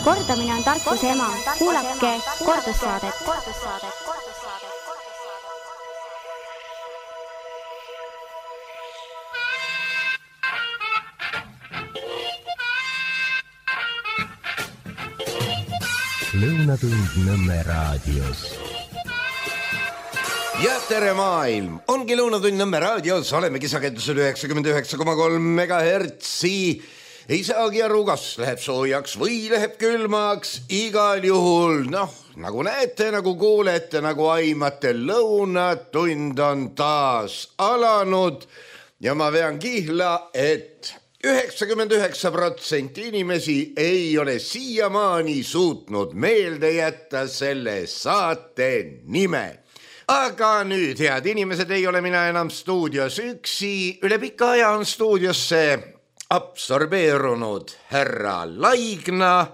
Kordamine on tarkuse ema. Kuulake kordussaadet. Lõunatund Nõmme raadios. Ja tere maailm! Ongi Lõunatund Nõmme raadios, olemegi sagedusel 99,3 megahertsi. Ei saagi aru, kas läheb soojaks või läheb külmaks. Igal juhul, nagu näete, nagu kuulete, nagu aimate, Lõunatund on taas alanud. Ja ma vean kihla, et 99% inimesi ei ole siiamaani suutnud meelde jätta selle saate nime. Aga nüüd, head inimesed, ei ole mina enam stuudios üksi. Üle pika aja on stuudiosse absorbeerunud härra Laigna.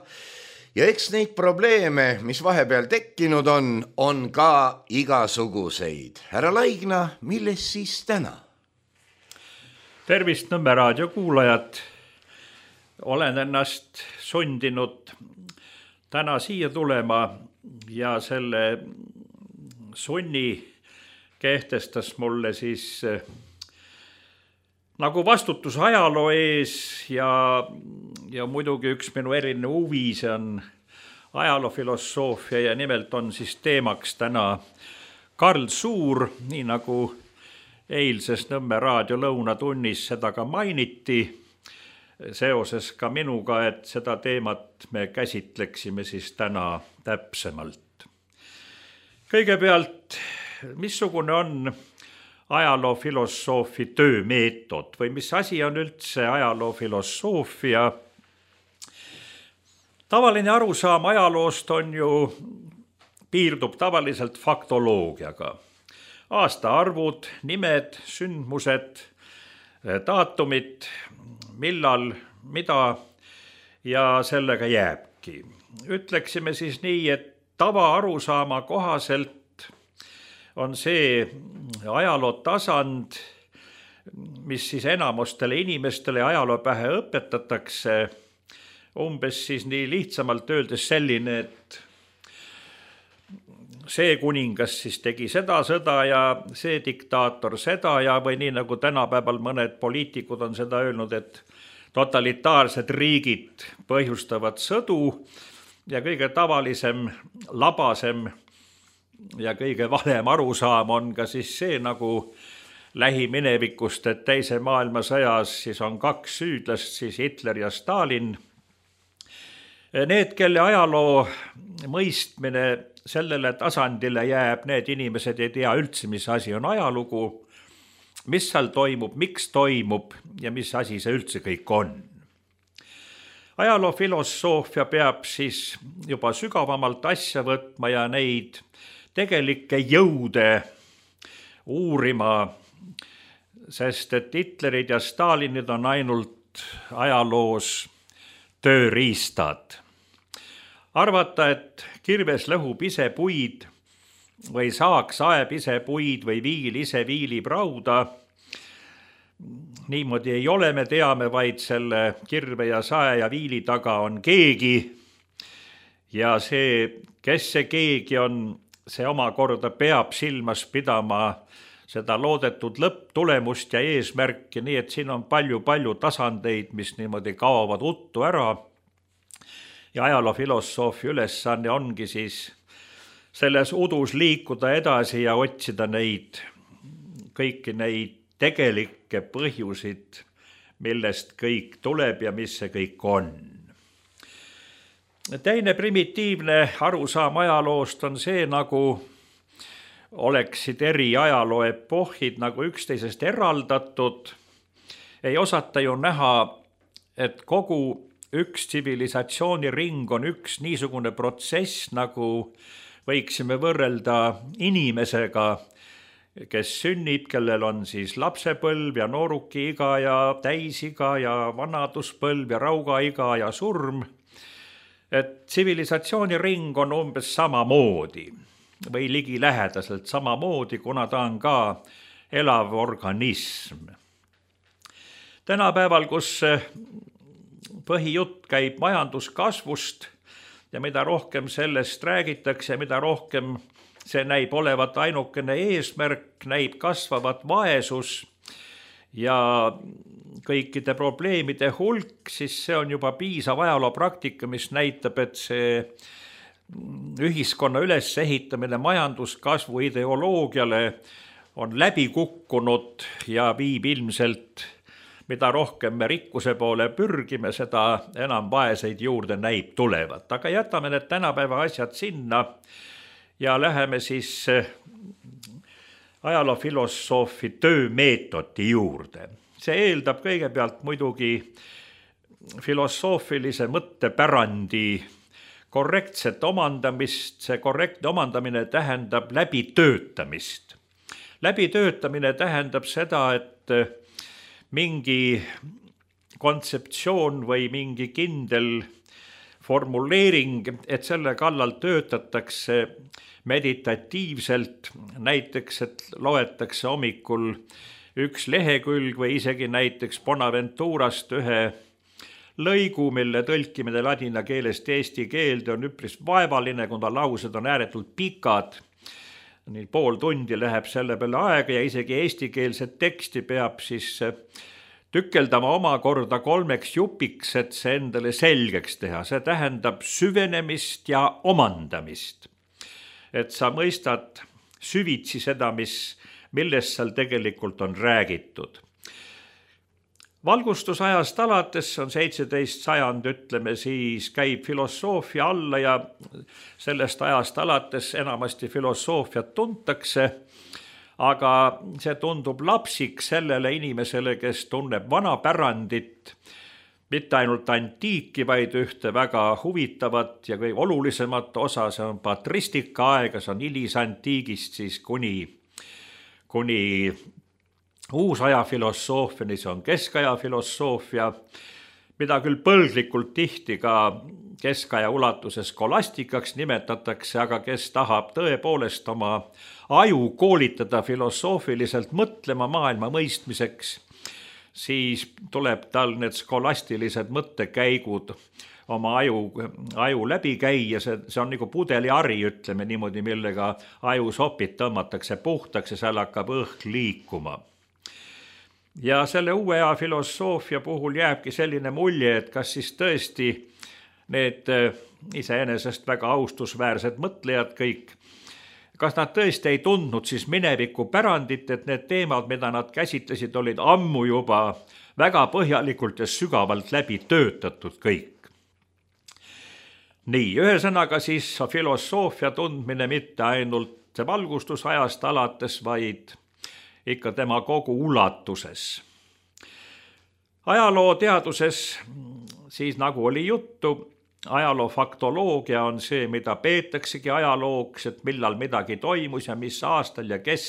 Ja eks neid probleeme, mis vahepeal tekkinud on ka igasuguseid. Härra Laigna, milles siis täna? Tervist Nõmme raadio kuulajad. Olen ennast sundinud täna siia tulema ja selle sunni kehtestas mulle siis nagu vastutus ajaloo ees ja muidugi üks minu eriline huvi, see on ajaloofilosoofia ja nimelt on siis teemaks täna Karl Suur, nii nagu eilses Nõmme raadio lõunatunnis seda ka mainiti, seoses ka minuga, et seda teemat me käsitleksime siis täna täpsemalt. Kõigepealt, missugune on ajaloofilosoofi töömeetod või mis asi on üldse ajaloofilosoofia? Tavaline arusaam ajaloost on ju, piirdub tavaliselt faktoloogiaga. Aastaarvud, nimed, sündmused, daatumid, millal, mida ja sellega jääbki. Ütleksime siis nii, et tava arusaama kohaselt on see ajaloo tasand, mis siis enamustele inimestele ajaloopähe õpetatakse, umbes siis nii lihtsamalt öeldes selline, et see kuningas siis tegi seda sõda ja see diktaator seda ja või nii nagu tänapäeval mõned poliitikud on seda öelnud, et totalitaarsed riigid põhjustavad sõdu ja kõige tavalisem, labasem ja kõige valem arusaam on ka siis see nagu lähiminevikust, et teise maailmasõjas siis on kaks süüdlast, siis Hitler ja Stalin. Need, kelle ajaloo mõistmine sellele tasandile jääb, need inimesed ei tea üldse, mis asi on ajalugu, mis seal toimub, miks toimub ja mis asi see üldse kõik on. Ajaloofilosoofia peab siis juba sügavamalt asja võtma ja neid tegelikke jõude uurima, sest et Hitlerid ja Stalinid on ainult ajaloos tööriistad. Arvata, et kirves lõhub ise puid või saaks aeb ise puid või viil ise viilib rauda, niimoodi ei ole, me teame, vaid selle kirve ja sae ja viili taga on keegi ja see, kes see keegi on, see omakorda peab silmas pidama seda loodetud lõpptulemust ja eesmärki, nii et siin on palju tasandeid, mis niimoodi kaovad uttu ära ja ajaloofilosoofi ülesanne ongi siis selles udus liikuda edasi ja otsida kõiki neid tegelikke põhjusid, millest kõik tuleb ja mis see kõik on. Teine primitiivne arusaam ajaloost on see, nagu oleksid eri ajaloo epohhid nagu üksteisest eraldatud. Ei osata ju näha, et kogu üks tsivilisatsiooniring on üks niisugune protsess, nagu võiksime võrrelda inimesega, kes sünnib, kellel on siis lapsepõlv ja noorukiiga ja täisiga ja vanaduspõlv ja raugaiga ja surm. Et tsivilisatsiooniring on umbes samamoodi või ligilähedaselt samamoodi, kuna ta on ka elav organism. Tänapäeval, kus põhijutt käib majanduskasvust ja mida rohkem sellest räägitakse, mida rohkem see näib olevat ainukene eesmärk, näib kasvavat vaesus ja kõikide probleemide hulk, siis see on juba piisav ajaloopraktika, mis näitab, et see ühiskonna ülesehitamine majanduskasvu ideoloogiale on läbi kukkunud ja viib ilmselt, mida rohkem me rikkuse poole pürgime, seda enam vaeseid juurde näib tulevat. Aga jätame need tänapäeva asjad sinna ja läheme siis ajaloofilosoofi töömeetodi juurde. See eeldab kõigepealt muidugi filosoofilise mõttepärandi korrektset omandamist. See korrektne omandamine tähendab läbitöötamist. Läbitöötamine tähendab seda, et mingi kontseptsioon või mingi kindel formuleering, et selle kallal töötatakse meditatiivselt, näiteks, et loetakse hommikul üks lehekülg või isegi näiteks Bonaventurast ühe lõigu, mille tõlkimine ladina keelest eesti keelde on üpris vaevaline, kuna laused on ääretult pikad. Nii pool tundi läheb selle peale aega ja isegi eestikeelset teksti peab siis tükeldama omakorda 3 jupiks, et see endale selgeks teha. See tähendab süvenemist ja omandamist. Et sa mõistad süvitsi seda, millest seal tegelikult on räägitud. Valgustusajast alates, on 17. sajand, ütleme siis, käib filosoofia alla ja sellest ajast alates enamasti filosoofiat tuntakse, aga see tundub lapsik sellele inimesele, kes tunneb vana pärandit, mitte ainult antiiki, vaid ühte väga huvitavat ja kõige olulisemat osa, see on patristika aega, see on hilisantiigist siis kuni uusaja filosoofiani, see on keskaja filosoofia, mida küll põlglikult tihti ka keskaja ulatuses skolastikaks nimetatakse, aga kes tahab tõepoolest oma aju koolitada filosoofiliselt mõtlema maailma mõistmiseks, siis tuleb tal need skolastilised mõttekäigud oma aju läbi käia. See on nagu pudeliari, ütleme niimoodi, millega ajusopid tõmmatakse puhtaks ja seal hakkab õhk liikuma. Ja selle uue aja filosoofia puhul jääbki selline mulje, et kas siis tõesti need iseenesest väga austusväärsed mõtlejad kõik, kas nad tõesti ei tundnud siis mineviku pärandit, et need teemad, mida nad käsitlesid, olid ammu juba väga põhjalikult ja sügavalt läbi töötatud kõik. Nii, ühesõnaga siis filosoofia tundmine mitte ainult valgustusajast alates, vaid ikka tema kogu ulatuses. Ajalooteaduses, siis nagu oli juttu, ajaloofaktoloogia on see, mida peetaksegi ajalooks, et millal midagi toimus ja mis aastal ja kes.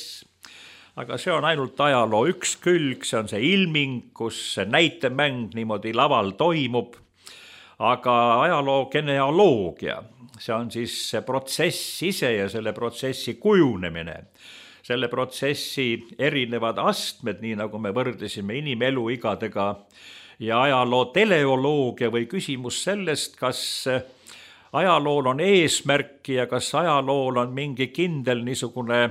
Aga see on ainult ajaloo üks külg, see on see ilming, kus see näitemäng niimoodi laval toimub. Aga ajaloo genealoogia, see on siis see protsess ise ja selle protsessi kujunemine. Selle protsessi erinevad astmed, nii nagu me võrdlesime inimeluigadega, ja ajaloo teleoloogia või küsimus sellest, kas ajalool on eesmärki ja kas ajalool on mingi kindel niisugune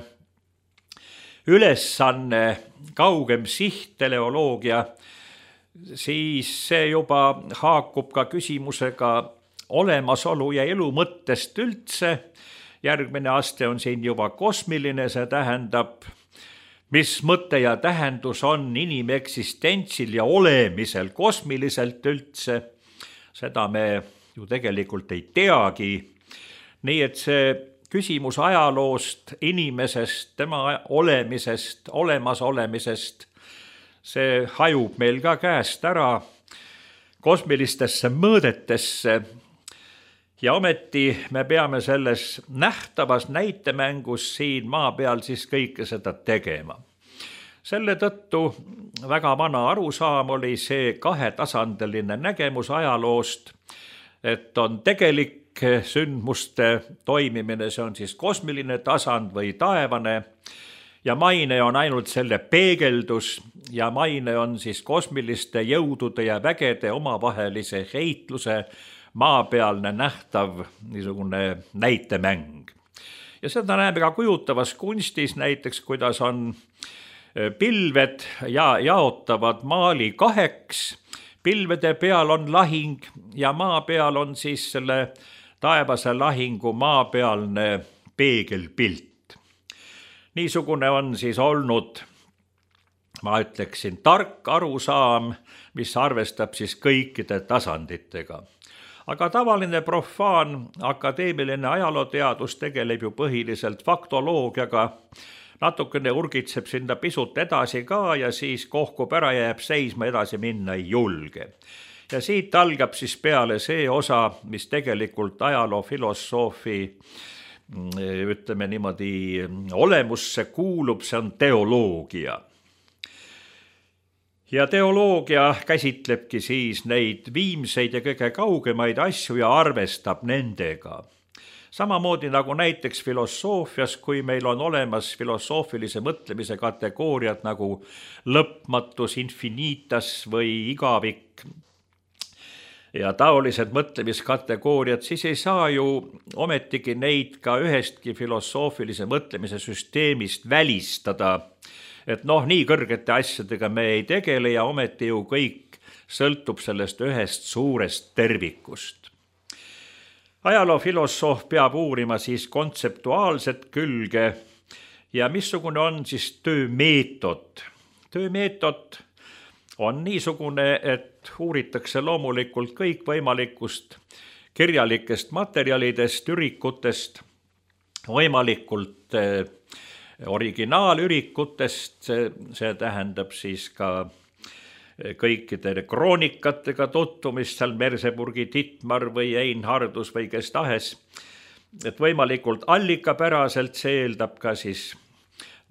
ülesanne, kaugem siht, teleoloogia, siis see juba haakub ka küsimusega olemasolu ja elu mõttest üldse. Järgmine aste on siin juba kosmiline, see tähendab, mis mõte ja tähendus on inimeksistentsil ja olemisel kosmiliselt üldse. Seda me ju tegelikult ei teagi. Nii et see küsimus ajaloost, inimesest, tema olemisest, olemasolemisest, see hajub meil ka käest ära kosmilistesse mõõdetesse. Ja ometi me peame selles nähtavas näitemängus siin maa peal siis kõike seda tegema. Selle tõttu väga vana arusaam oli see kahetasandiline nägemus ajaloost, et on tegelik sündmuste toimimine, see on siis kosmiline tasand või taevane, ja maine on ainult selle peegeldus ja maine on siis kosmiliste jõudude ja vägede omavahelise heitluse maapealne nähtav niisugune näitemäng. Ja seda näeme ka kujutavas kunstis, näiteks kuidas on pilved ja jaotavad maali kaheks, pilvede peal on lahing ja maa peal on siis selle taevase lahingu maapealne peegelpilt. Niisugune on siis olnud, ma ütleksin, tark arusaam, mis arvestab siis kõikide tasanditega. Aga tavaline profaan akadeemiline ajalooteadus tegeleb ju põhiliselt faktoloogiaga, natukene urgitseb sinna pisut edasi ka ja siis kohkub ära ja jääb seisma, edasi minna ei julge. Ja siit algab siis peale see osa, mis tegelikult ajaloofilosoofi, ütleme niimoodi, olemusse kuulub, see on teoloogia. Ja teoloogia käsitlebki siis neid viimseid ja kõige kaugemaid asju ja arvestab nendega. Samamoodi nagu näiteks filosoofias, kui meil on olemas filosoofilise mõtlemise kategooriad nagu lõpmatus, infinitas või igavik ja taolised mõtlemiskategooriad, siis ei saa ju ometigi neid ka ühestki filosoofilise mõtlemise süsteemist välistada, et nii kõrgete asjadega me ei tegele ja ometi ju kõik sõltub sellest ühest suurest tervikust. Ajaloofilosoof peab uurima siis kontseptuaalset külge ja missugune on siis töömeetod. Töömeetod on niisugune, et uuritakse loomulikult kõikvõimalikust kirjalikest materjalidest, ürikutest, võimalikult originaalürikutest, see tähendab siis ka kõikide kroonikatega tutvumist, seal Merseburgi Dittmar või Einhardus või kes tahes, et võimalikult allikapäraselt, see eeldab ka siis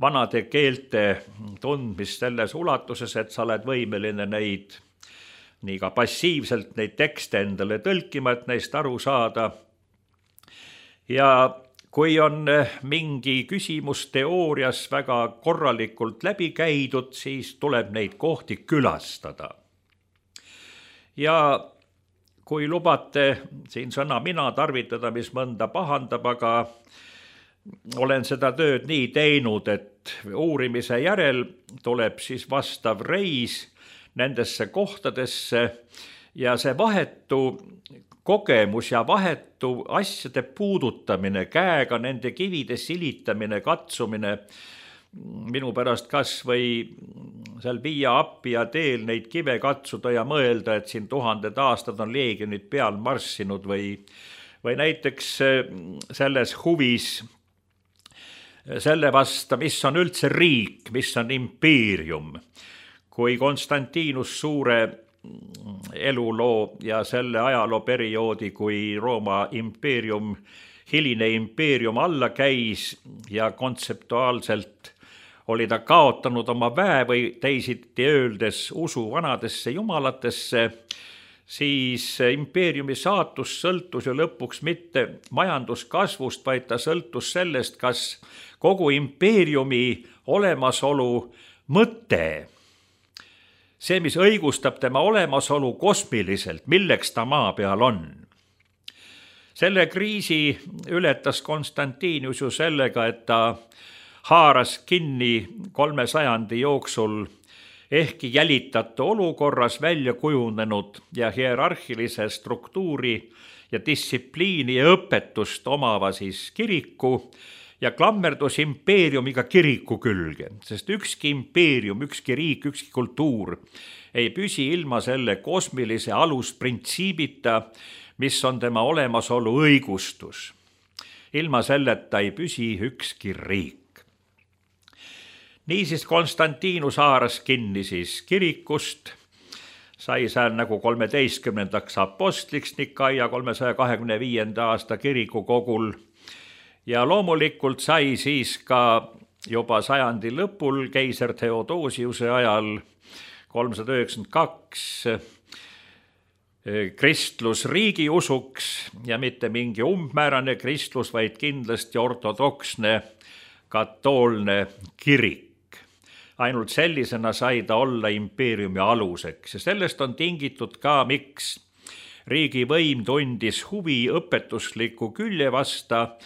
vanade keelte tundmist selles ulatuses, et sa oled võimeline neid nii ka passiivselt neid tekste endale tõlkima, et neist aru saada. Ja kui on mingi küsimus teoorias väga korralikult läbi käidud, siis tuleb neid kohti külastada. Ja kui lubate siin sõna mina tarvitada, mis mõnda pahandab, aga olen seda tööd nii teinud, et uurimise järel tuleb siis vastav reis nendesse kohtadesse ja see vahetu kogemus ja vahetu asjade puudutamine, käega nende kivide silitamine, katsumine, minu pärast kas või seal Via Appia teel neid kive katsuda ja mõelda, et siin 1000 aastad on leegionid peal marssinud või näiteks selles huvis selle vasta, mis on üldse riik, mis on impeerium, kui Konstantinus Suure eluloo ja selle ajalooperioodi, kui Rooma impeerium, hiline impeerium alla käis ja kontseptuaalselt oli ta kaotanud oma väe või teisiti öeldes usu vanadesse jumalatesse, siis impeeriumi saatus sõltus ju lõpuks mitte majanduskasvust, vaid ta sõltus sellest, kas kogu impeeriumi olemasolu mõte, see, mis õigustab tema olemasolu kosmiliselt, milleks ta maa peal on. Selle kriisi ületas Konstantinus ju sellega, et ta haaras kinni 300 jooksul ehkki jälitatu olukorras välja kujunenud ja hierarhilise struktuuri ja distsipliini ja õpetust omava siis kiriku ja klammerdus impeeriumiga kiriku külge, sest ükski impeerium, ükski riik, ükski kultuur ei püsi ilma selle kosmilise alusprintsiibita, mis on tema olemasolu õigustus. Ilma selleta ei püsi ükski riik. Niisiis Konstantinus haaras kinni siis kirikust, sai seal nagu 13. apostliks Nikaia 325. aasta kirikukogul ja loomulikult sai siis ka juba sajandi lõpul keiser Theodosiuse ajal 392 kristlus riigiusuks ja mitte mingi umbmäärane kristlus, vaid kindlasti ortodoksne katoolne kirik. Ainult sellisena sai ta olla impeeriumi aluseks ja sellest on tingitud ka, miks riigivõim tundis huvi õpetusliku külje vasta.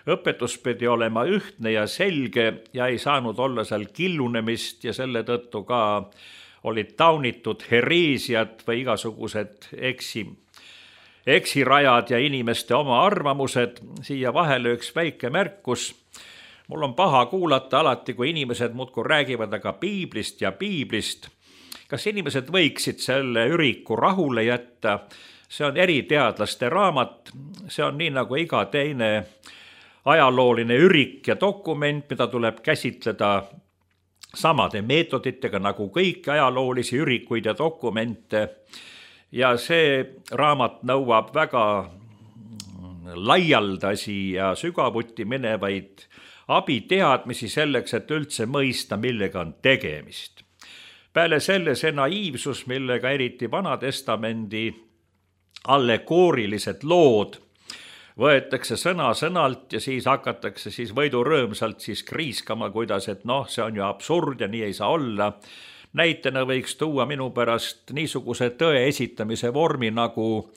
Õpetus pidi olema ühtne ja selge ja ei saanud olla seal killunemist ja selle tõttu ka olid taunitud hereesiad või igasugused eksirajad ja inimeste oma arvamused. Siia vahele üks väike märkus. Mul on paha kuulata alati, kui inimesed muudkui räägivad aga piiblist ja piiblist. Kas inimesed võiksid selle üriku rahule jätta? See on eriteadlaste raamat. See on nii nagu iga teine ajalooline ürik ja dokument, mida tuleb käsitleda samade meetoditega nagu kõiki ajaloolisi ürikuid ja dokumente. Ja see raamat nõuab väga laialdasi ja sügavuti minevaid abiteadmisi selleks, et üldse mõista, millega on tegemist. Peale selle see naiivsus, millega eriti Vanatestamendi allegoorilised lood võetakse sõna-sõnalt ja siis hakatakse siis võidurõõmsalt siis kriiskama, kuidas, et see on ju absurd ja nii ei saa olla. Näitena võiks tuua minu pärast niisuguse tõe esitamise vormi nagu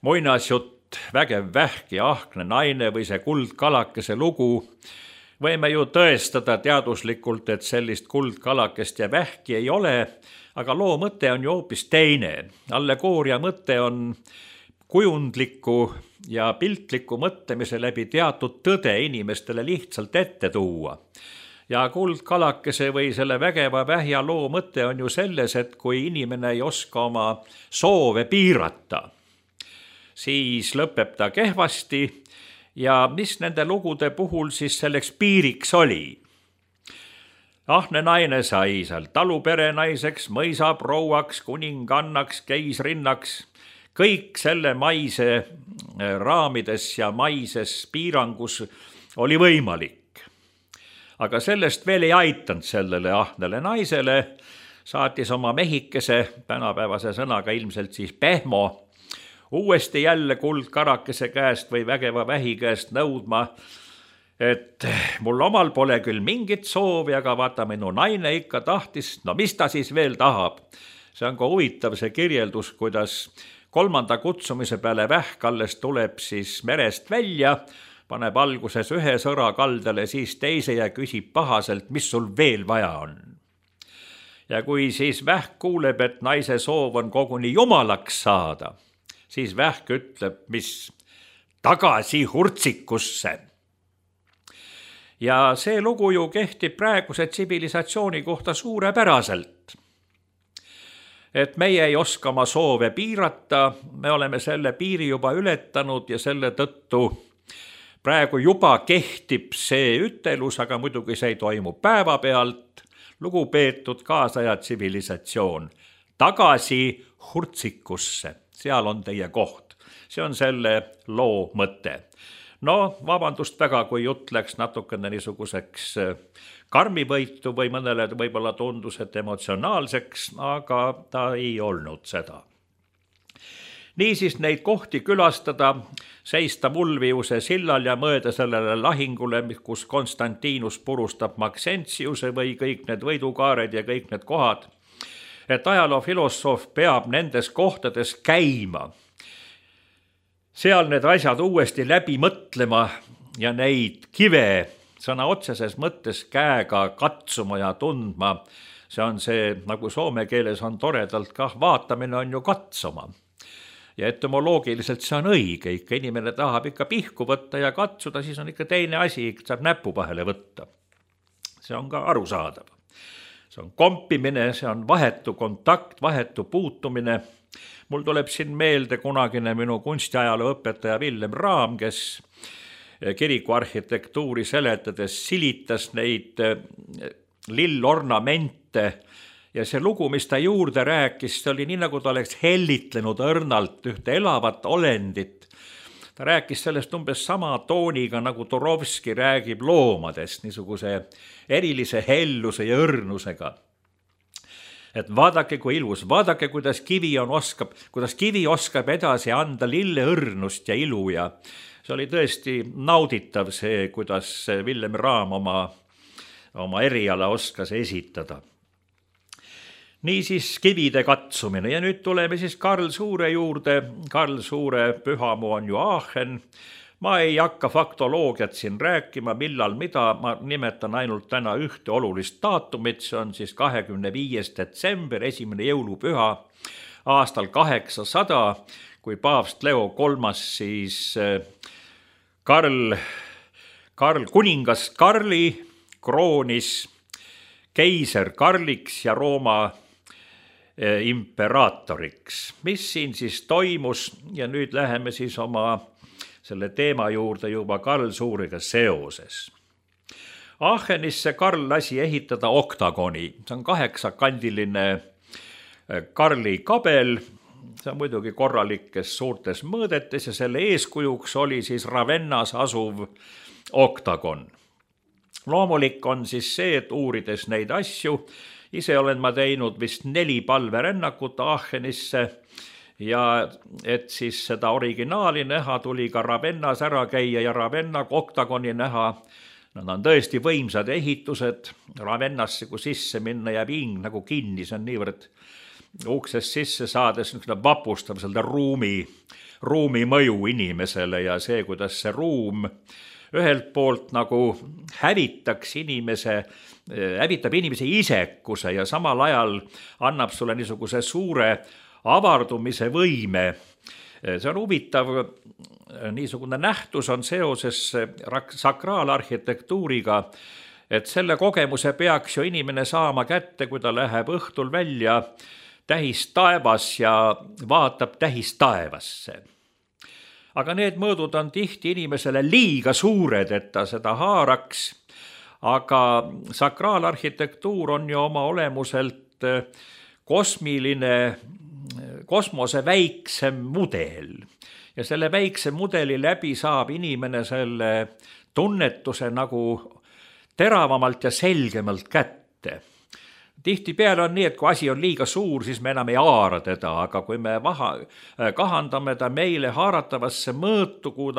muinasjutt Vägev vähk ja ahne naine või see kuldkalakese lugu. Võime ju tõestada teaduslikult, et sellist kuldkalakest ja vähki ei ole, aga loo mõte on ju hoopis teine. Allegooria mõte on kujundliku ja piltliku mõtlemise läbi teatud tõde inimestele lihtsalt ette tuua. Ja kuldkalakese või selle Vägeva vähja loo mõte on ju selles, et kui inimene ei oska oma soove piirata, siis lõpeb ta kehvasti. Ja mis nende lugude puhul siis selleks piiriks oli? Ahne naine sai seal taluperenaiseks, mõisaprouaks, kuningannaks, keisrinnaks. Kõik selle maise raamides ja maises piirangus oli võimalik. Aga sellest veel ei aitanud sellele ahnele naisele. Saatis oma mehikese, tänapäevase sõnaga ilmselt siis pehmo, uuesti jälle kuldkarakese käest või Vägeva vähi käest nõudma, et mul omal pole küll mingit soovi, aga vaata minu naine ikka tahtis, mis ta siis veel tahab. See on ka huvitav see kirjeldus, kuidas 3. kutsumise peale vähk alles tuleb siis merest välja, paneb alguses ühe sõra kaldale, siis teise ja küsib pahaselt, mis sul veel vaja on. Ja kui siis vähk kuuleb, et naise soov on koguni jumalaks saada, siis vähk ütleb, mis tagasi hurtsikusse. Ja see lugu ju kehtib praeguse tsivilisatsiooni kohta suurepäraselt. Et meie ei oska oma soove piirata, me oleme selle piiri juba ületanud ja selle tõttu praegu juba kehtib see ütelus, aga muidugi see ei toimu päevapealt. Lugupeetud kaasaja tsivilisatsioon, tagasi hurtsikusse. Seal on teie koht. See on selle loo mõte. Vabandust väga, kui jutt läks natukene niisuguseks karmivõitu või mõnele võib-olla tundus, et emotsionaalseks, aga ta ei olnud seda. Niisiis neid kohti külastada, seista Mulviuse sillal ja mõõda sellele lahingule, kus Konstantinus purustab Maxentiuse või kõik need võidukaared ja kõik need kohad, et ajaloofilosoof peab nendes kohtades käima. Seal need asjad uuesti läbi mõtlema ja neid kive sõna otseses mõttes käega katsuma ja tundma. See on see, nagu soome keeles on toredalt kah, vaatamine on ju katsuma. Ja etymoloogiliselt see on õige, ikka inimene tahab ikka pihku võtta ja katsuda, siis on ikka teine asi, saab näpu vahele võtta. See on ka arusaadav. See on kompimine, see on vahetu kontakt, vahetu puutumine. Mul tuleb siin meelde kunagine minu kunstiajaloo õpetaja Villem Raam, kes kirikuarhitektuuri seletades silitas neid lillornamente ja see lugu, mis ta juurde rääkis, see oli nii, nagu ta oleks hellitlenud õrnalt ühte elavat olendit. Ta rääkis sellest umbes sama tooniga, nagu Turovski räägib loomadest, niisuguse erilise helluse ja õrnusega. Et vaadake, kui ilus, vaadake, kuidas kivi oskab edasi anda lille õrnust ja ilu ja see oli tõesti nauditav see, kuidas Villem Raam oma eriala oskas esitada. Niisiis kivide katsumine ja nüüd tuleme siis Karl Suure juurde. Karl Suure pühamu on ju Aachen. Ma ei hakka faktoloogiat siin rääkima, millal mida, ma nimetan ainult täna ühte olulist daatumit, see on siis 25. detsember, esimene jõulupüha aastal 800, kui paavst Leo III siis kuningas Karli kroonis keiser Karliks ja Rooma imperaatoriks. Mis siin siis toimus ja nüüd läheme siis oma selle teema juurde juba Karl Suurega seoses. Aachenisse Karl lasi ehitada oktagoni, see on 8-kandiline Karli kabel, see on muidugi korralikes suurtes mõõdetes ja selle eeskujuks oli siis Ravennas asuv oktagon. Loomulik on siis see, et uurides neid asju, ise olen ma teinud vist 4 palverännakut Aachenisse ja et siis seda originaali näha, tuli ka Ravennas ära käia ja Ravenna oktagoni näha. Nad on tõesti võimsad ehitused. Ravennasse, kui sisse minna, jääb hing nagu kinni, see on niivõrd uksest sisse saades vapustab seda ruumi mõju inimesele ja see, kuidas see ruum ühelt poolt nagu hävitab inimese isekuse ja samal ajal annab sulle niisuguse suure avardumise võime. See on huvitav, niisugune nähtus on seoses sakraalarhitektuuriga, et selle kogemuse peaks ju inimene saama kätte, kui ta läheb õhtul välja tähistaevas ja vaatab tähistaevasse. Aga need mõõdud on tihti inimesele liiga suured, et ta seda haaraks, aga sakraalarhitektuur on ju oma olemuselt kosmose väiksem mudel ja selle väikse mudeli läbi saab inimene selle tunnetuse nagu teravamalt ja selgemalt kätte. Tihtipeale on nii, et kui asi on liiga suur, siis me enam ei haara teda, aga kui me kahandame ta meile haaratavasse mõõtu, kui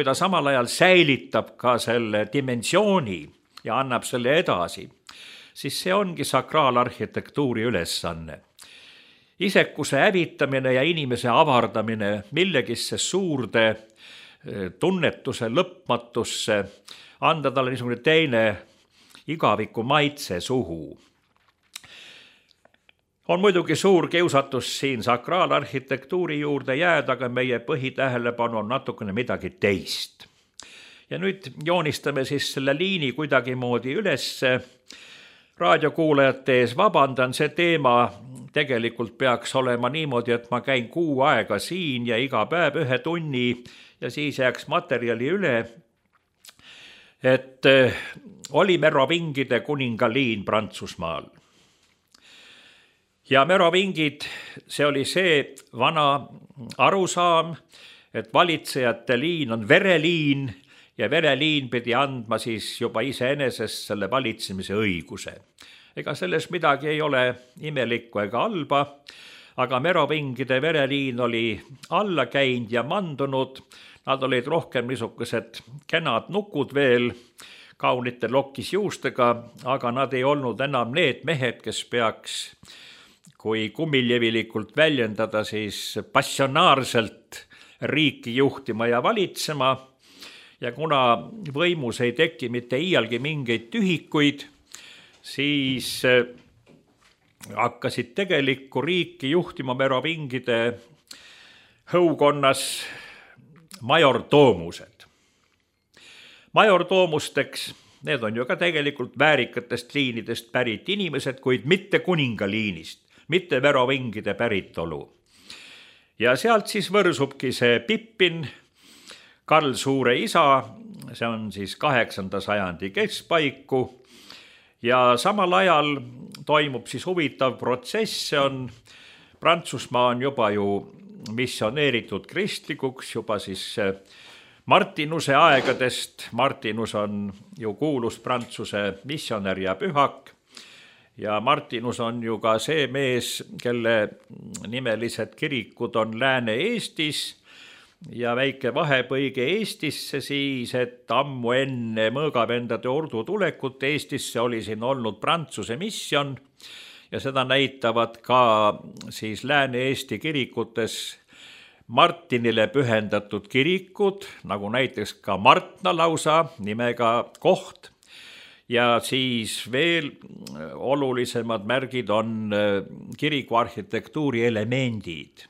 ta samal ajal säilitab ka selle dimensiooni ja annab selle edasi, siis see ongi sakraalarhitektuuri ülesanne. Isekuse hävitamine ja inimese avardamine millegisse suurde tunnetuse lõpmatusse, anda talle niisugune teine igaviku maitse suhu. On muidugi suur kiusatus siin sakraalarhitektuuri juurde jääda, aga meie põhitähelepanu on natukene midagi teist. Ja nüüd joonistame siis selle liini kuidagimoodi ülesse. Raadiokuulajate ees vabandan, see teema tegelikult peaks olema niimoodi, et ma käin 6 aega siin ja iga päev 1 tunni ja siis jääks materjali üle. Et oli merovingide kuningaliin Prantsusmaal. Ja merovingid, see oli see vana arusaam, et valitsejate liin on vereliin ja vereliin pidi andma siis juba iseenesest selle valitsemise õiguse. Ega selles midagi ei ole imelikku ega halba, aga merovingide vereliin oli alla käinud ja mandunud. Nad olid rohkem niisugused kenad nukud veel, kaunite lokisjuustega, aga nad ei olnud enam need mehed, kes peaks, kui kummiljevilikult väljendada, siis passionaarselt riiki juhtima ja valitsema. Ja kuna võimus ei teki mitte iialgi mingeid tühikuid, siis hakkasid tegelikku riiki juhtima merovingide hõukonnas majortoomused. Majortoomusteks, need on ju ka tegelikult väärikatest liinidest pärit inimesed, kuid mitte kuningaliinist, mitte merovingide päritolu. Ja sealt siis võrsubki see Pippin, Karl Suure isa, see on siis 8. sajandi keskpaiku ja samal ajal toimub siis huvitav protsess, see on Prantsusmaa on juba ju missioneeritud kristlikuks juba siis Martinuse aegadest. Martinus on ju kuulus Prantsuse missionär ja pühak ja Martinus on ju ka see mees, kelle nimelised kirikud on Lääne-Eestis ja väike vahepõige Eestisse siis, et ammu enne mõõgavendade ordu tulekut Eestisse oli siin olnud Prantsuse misjon ja seda näitavad ka siis Lääne-Eesti kirikutes Martinile pühendatud kirikud, nagu näiteks ka Martna lausa nimega koht. Ja siis veel olulisemad märgid on kiriku arhitektuuri elemendid.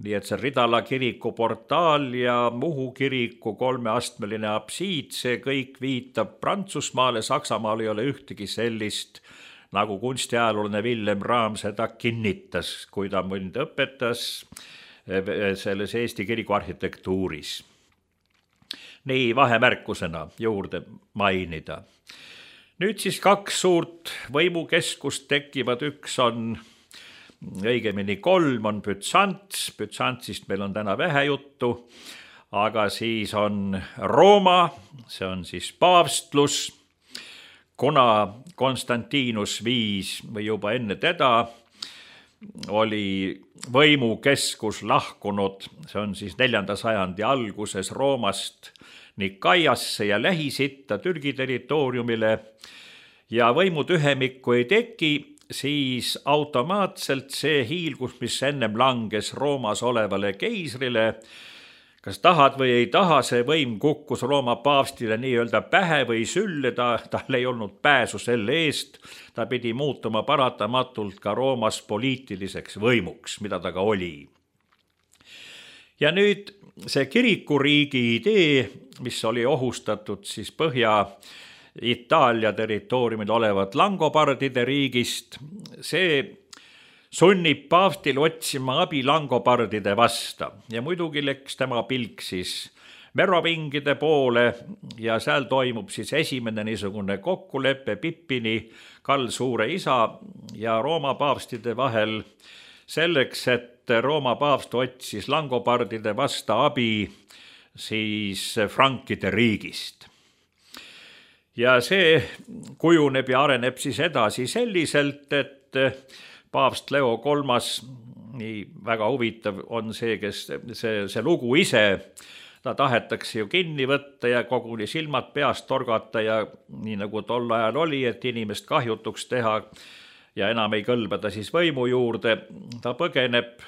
Nii et see Ridala kiriku portaal ja Muhu kiriku 3-astmeline apsiid, see kõik viitab Prantsusmaale, Saksamaal ei ole ühtegi sellist, nagu kunstiajalooline Villem Raam seda kinnitas, kui ta mind õpetas selles Eesti kiriku arhitektuuris. Nii vahemärkusena juurde mainida. Nüüd siis 2 suurt võimukeskust tekivad, üks on, õigemini 3 on Bütsants, Bütsantsist meil on täna vähe juttu, aga siis on Rooma, see on siis paavstlus, kuna Konstantinus viis või juba enne teda oli võimukeskus lahkunud, see on siis 4. sajandi alguses Roomast Nikaiasse ja Lähis-Itta Türgi territooriumile ja võimutühemikku ei teki, siis automaatselt see hiilgus, mis ennem langes Roomas olevale keisrile, kas tahad või ei taha, see võim kukkus Rooma paavstile nii-öelda pähe või sülle, tal ei olnud pääsu selle eest, ta pidi muutuma paratamatult ka Roomas poliitiliseks võimuks, mida ta ka oli. Ja nüüd see kirikuriigi idee, mis oli ohustatud siis Põhja-Itaalia territooriumil olevat langobardide riigist, see sunnib paavstil otsima abi langobardide vasta ja muidugi läks tema pilk siis merovingide poole ja seal toimub siis esimene niisugune kokkulepe Pippini, Karl Suure isa ja Rooma paavstide vahel selleks, et Rooma paavst otsis langobardide vasta abi siis frankide riigist. Ja see kujuneb ja areneb siis edasi selliselt, et paavst Leo III, nii väga huvitav on see, kes see lugu ise, ta tahetakse ju kinni võtta ja koguni silmad peast torgata ja nii nagu tol ajal oli, et inimest kahjutuks teha ja enam ei kõlba ta siis võimu juurde. Ta põgeneb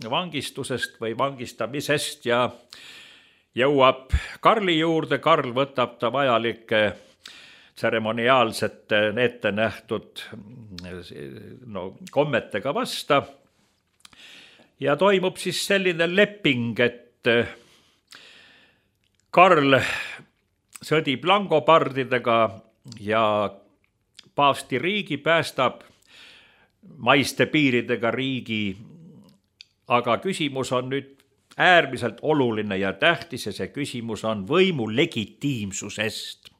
vangistusest või vangistamisest ja jõuab Karli juurde. Karl võtab ta vajalike tseremoniaalsete ette nähtud kommetega vasta ja toimub siis selline leping, et Karl sõdib langobardidega ja paavsti riigi päästab maiste piiridega riigi, aga küsimus on nüüd äärmiselt oluline ja tähtis ja see küsimus on võimu legitiimsusest.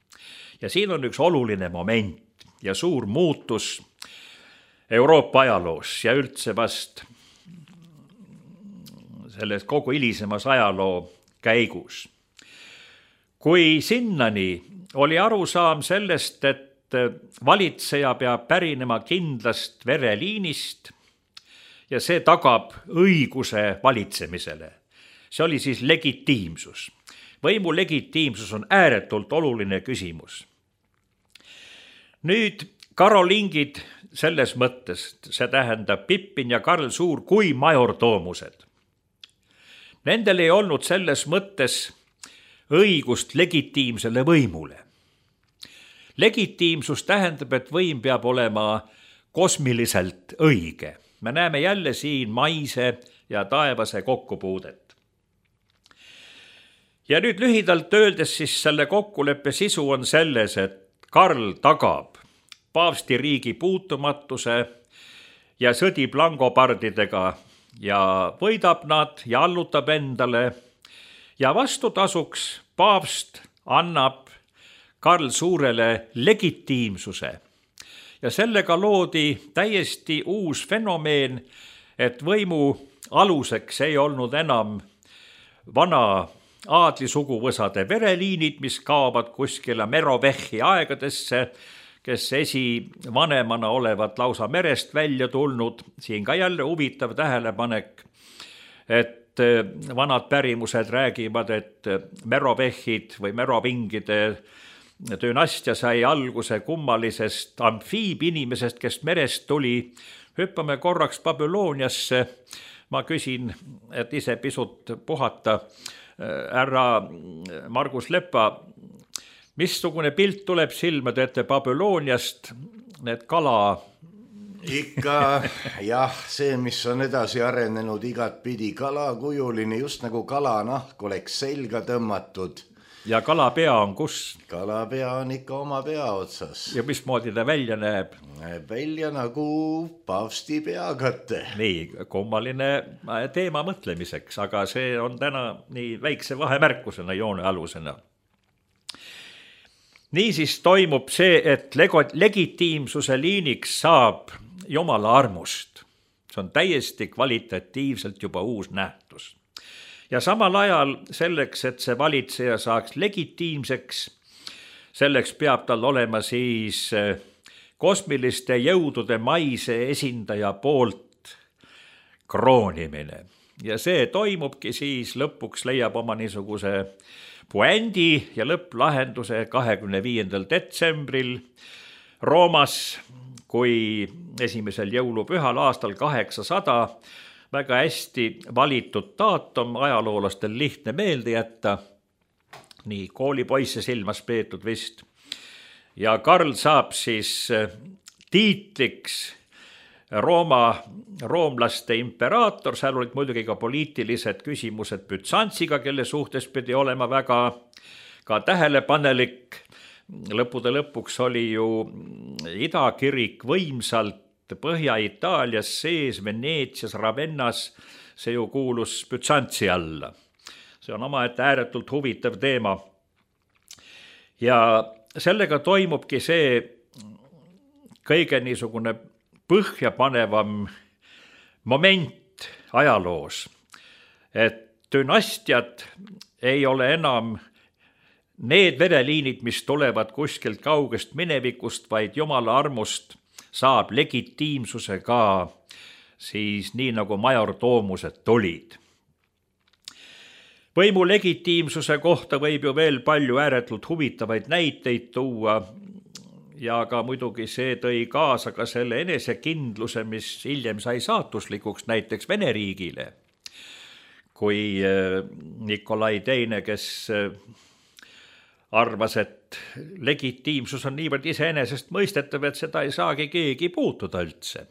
Ja siin on üks oluline moment ja suur muutus Euroopa ajaloos ja üldse vast selles kogu hilisemas ajaloo käigus. Kui sinnani oli arusaam sellest, et valitseja peab pärinema kindlast vereliinist ja see tagab õiguse valitsemisele. See oli siis legitiimsus. Võimu legitiimsus on ääretult oluline küsimus. Nüüd karolingid selles mõttes, see tähendab Pippin ja Karl Suur kui majortoomused. Nendel ei olnud selles mõttes õigust legitiimsele võimule. Legitiimsus tähendab, et võim peab olema kosmiliselt õige. Me näeme jälle siin maise ja taevase kokkupuudet. Ja nüüd lühidalt öeldes siis selle kokkuleppe sisu on selles, et Karl tagab paavsti riigi puutumatuse ja sõdib langobardidega ja võidab nad ja allutab endale ja vastutasuks paavst annab Karl Suurele legitiimsuse. Ja sellega loodi täiesti uus fenomeen, et võimu aluseks ei olnud enam vana aadlisuguvõsade vereliinid, mis kaovad kuskile Merovehhi aegadesse, kes esivanemana olevat lausa merest välja tulnud. Siin ka jälle huvitav tähelepanek, et vanad pärimused räägivad, et Merovehhid või merovingide dünastia sai alguse kummalisest amfiibinimesest, kes merest tuli. Hüppame korraks Babyloniasse. Ma küsin, et ise pisut puhata. Härra Margus Lepa, missugune pilt tuleb silmade ette Babyloniast, need kala? Ikka jah, see, mis on edasi arenenud igat pidi, kalakujuline, just nagu kalanahk oleks selga tõmmatud. Ja kalapea on kus? Kalapea on ikka oma pea otsas. Ja mismoodi ta välja näeb? Näeb välja nagu paavsti peakate. Nii, kummaline teema mõtlemiseks, aga see on täna nii väikse vahemärkusena, joone alusena. Niisiis toimub see, et legitiimsuse liiniks saab Jumala armust. See on täiesti kvalitatiivselt juba uus nähtus. Ja samal ajal selleks, et see valitseja saaks legitiimseks, selleks peab tal olema siis kosmiliste jõudude maise esindaja poolt kroonimine. Ja see toimubki siis lõpuks leiab oma niisuguse puändi ja lõpplahenduse 25. detsembril Roomas, kui esimesel jõulupühal aastal 800 väga hästi valitud daatum, ajaloolastel lihtne meelde jätta, nii koolipoisse silmas peetud vist. Ja Karl saab siis tiitliks roomlaste imperaator, seal olid muidugi ka poliitilised küsimused Büzantsiga, kelle suhtes pidi olema väga ka tähelepanelik. Lõppude lõpuks oli ju idakirik võimsalt Põhja-Itaalias sees, Veneetsias, Ravennas, see ju kuulus Büzantsi alla. See on omaette ääretult huvitav teema. Ja sellega toimubki see kõige niisugune põhjapanevam moment ajaloos, et dünastiad ei ole enam need vereliinid, mis tulevad kuskilt kaugest minevikust, vaid Jumala armust saab legitiimsuse ka siis nii nagu majortoomused tulid. Võimu legitiimsuse kohta võib ju veel palju ääretult huvitavaid näiteid tuua ja ka muidugi see tõi kaasa ka selle enesekindluse, mis hiljem sai saatuslikuks näiteks Vene riigile. Kui Nikolai II, kes arvas, et legitiimsus on niivõrd iseenesest mõistetav, et seda ei saagi keegi puutuda üldse.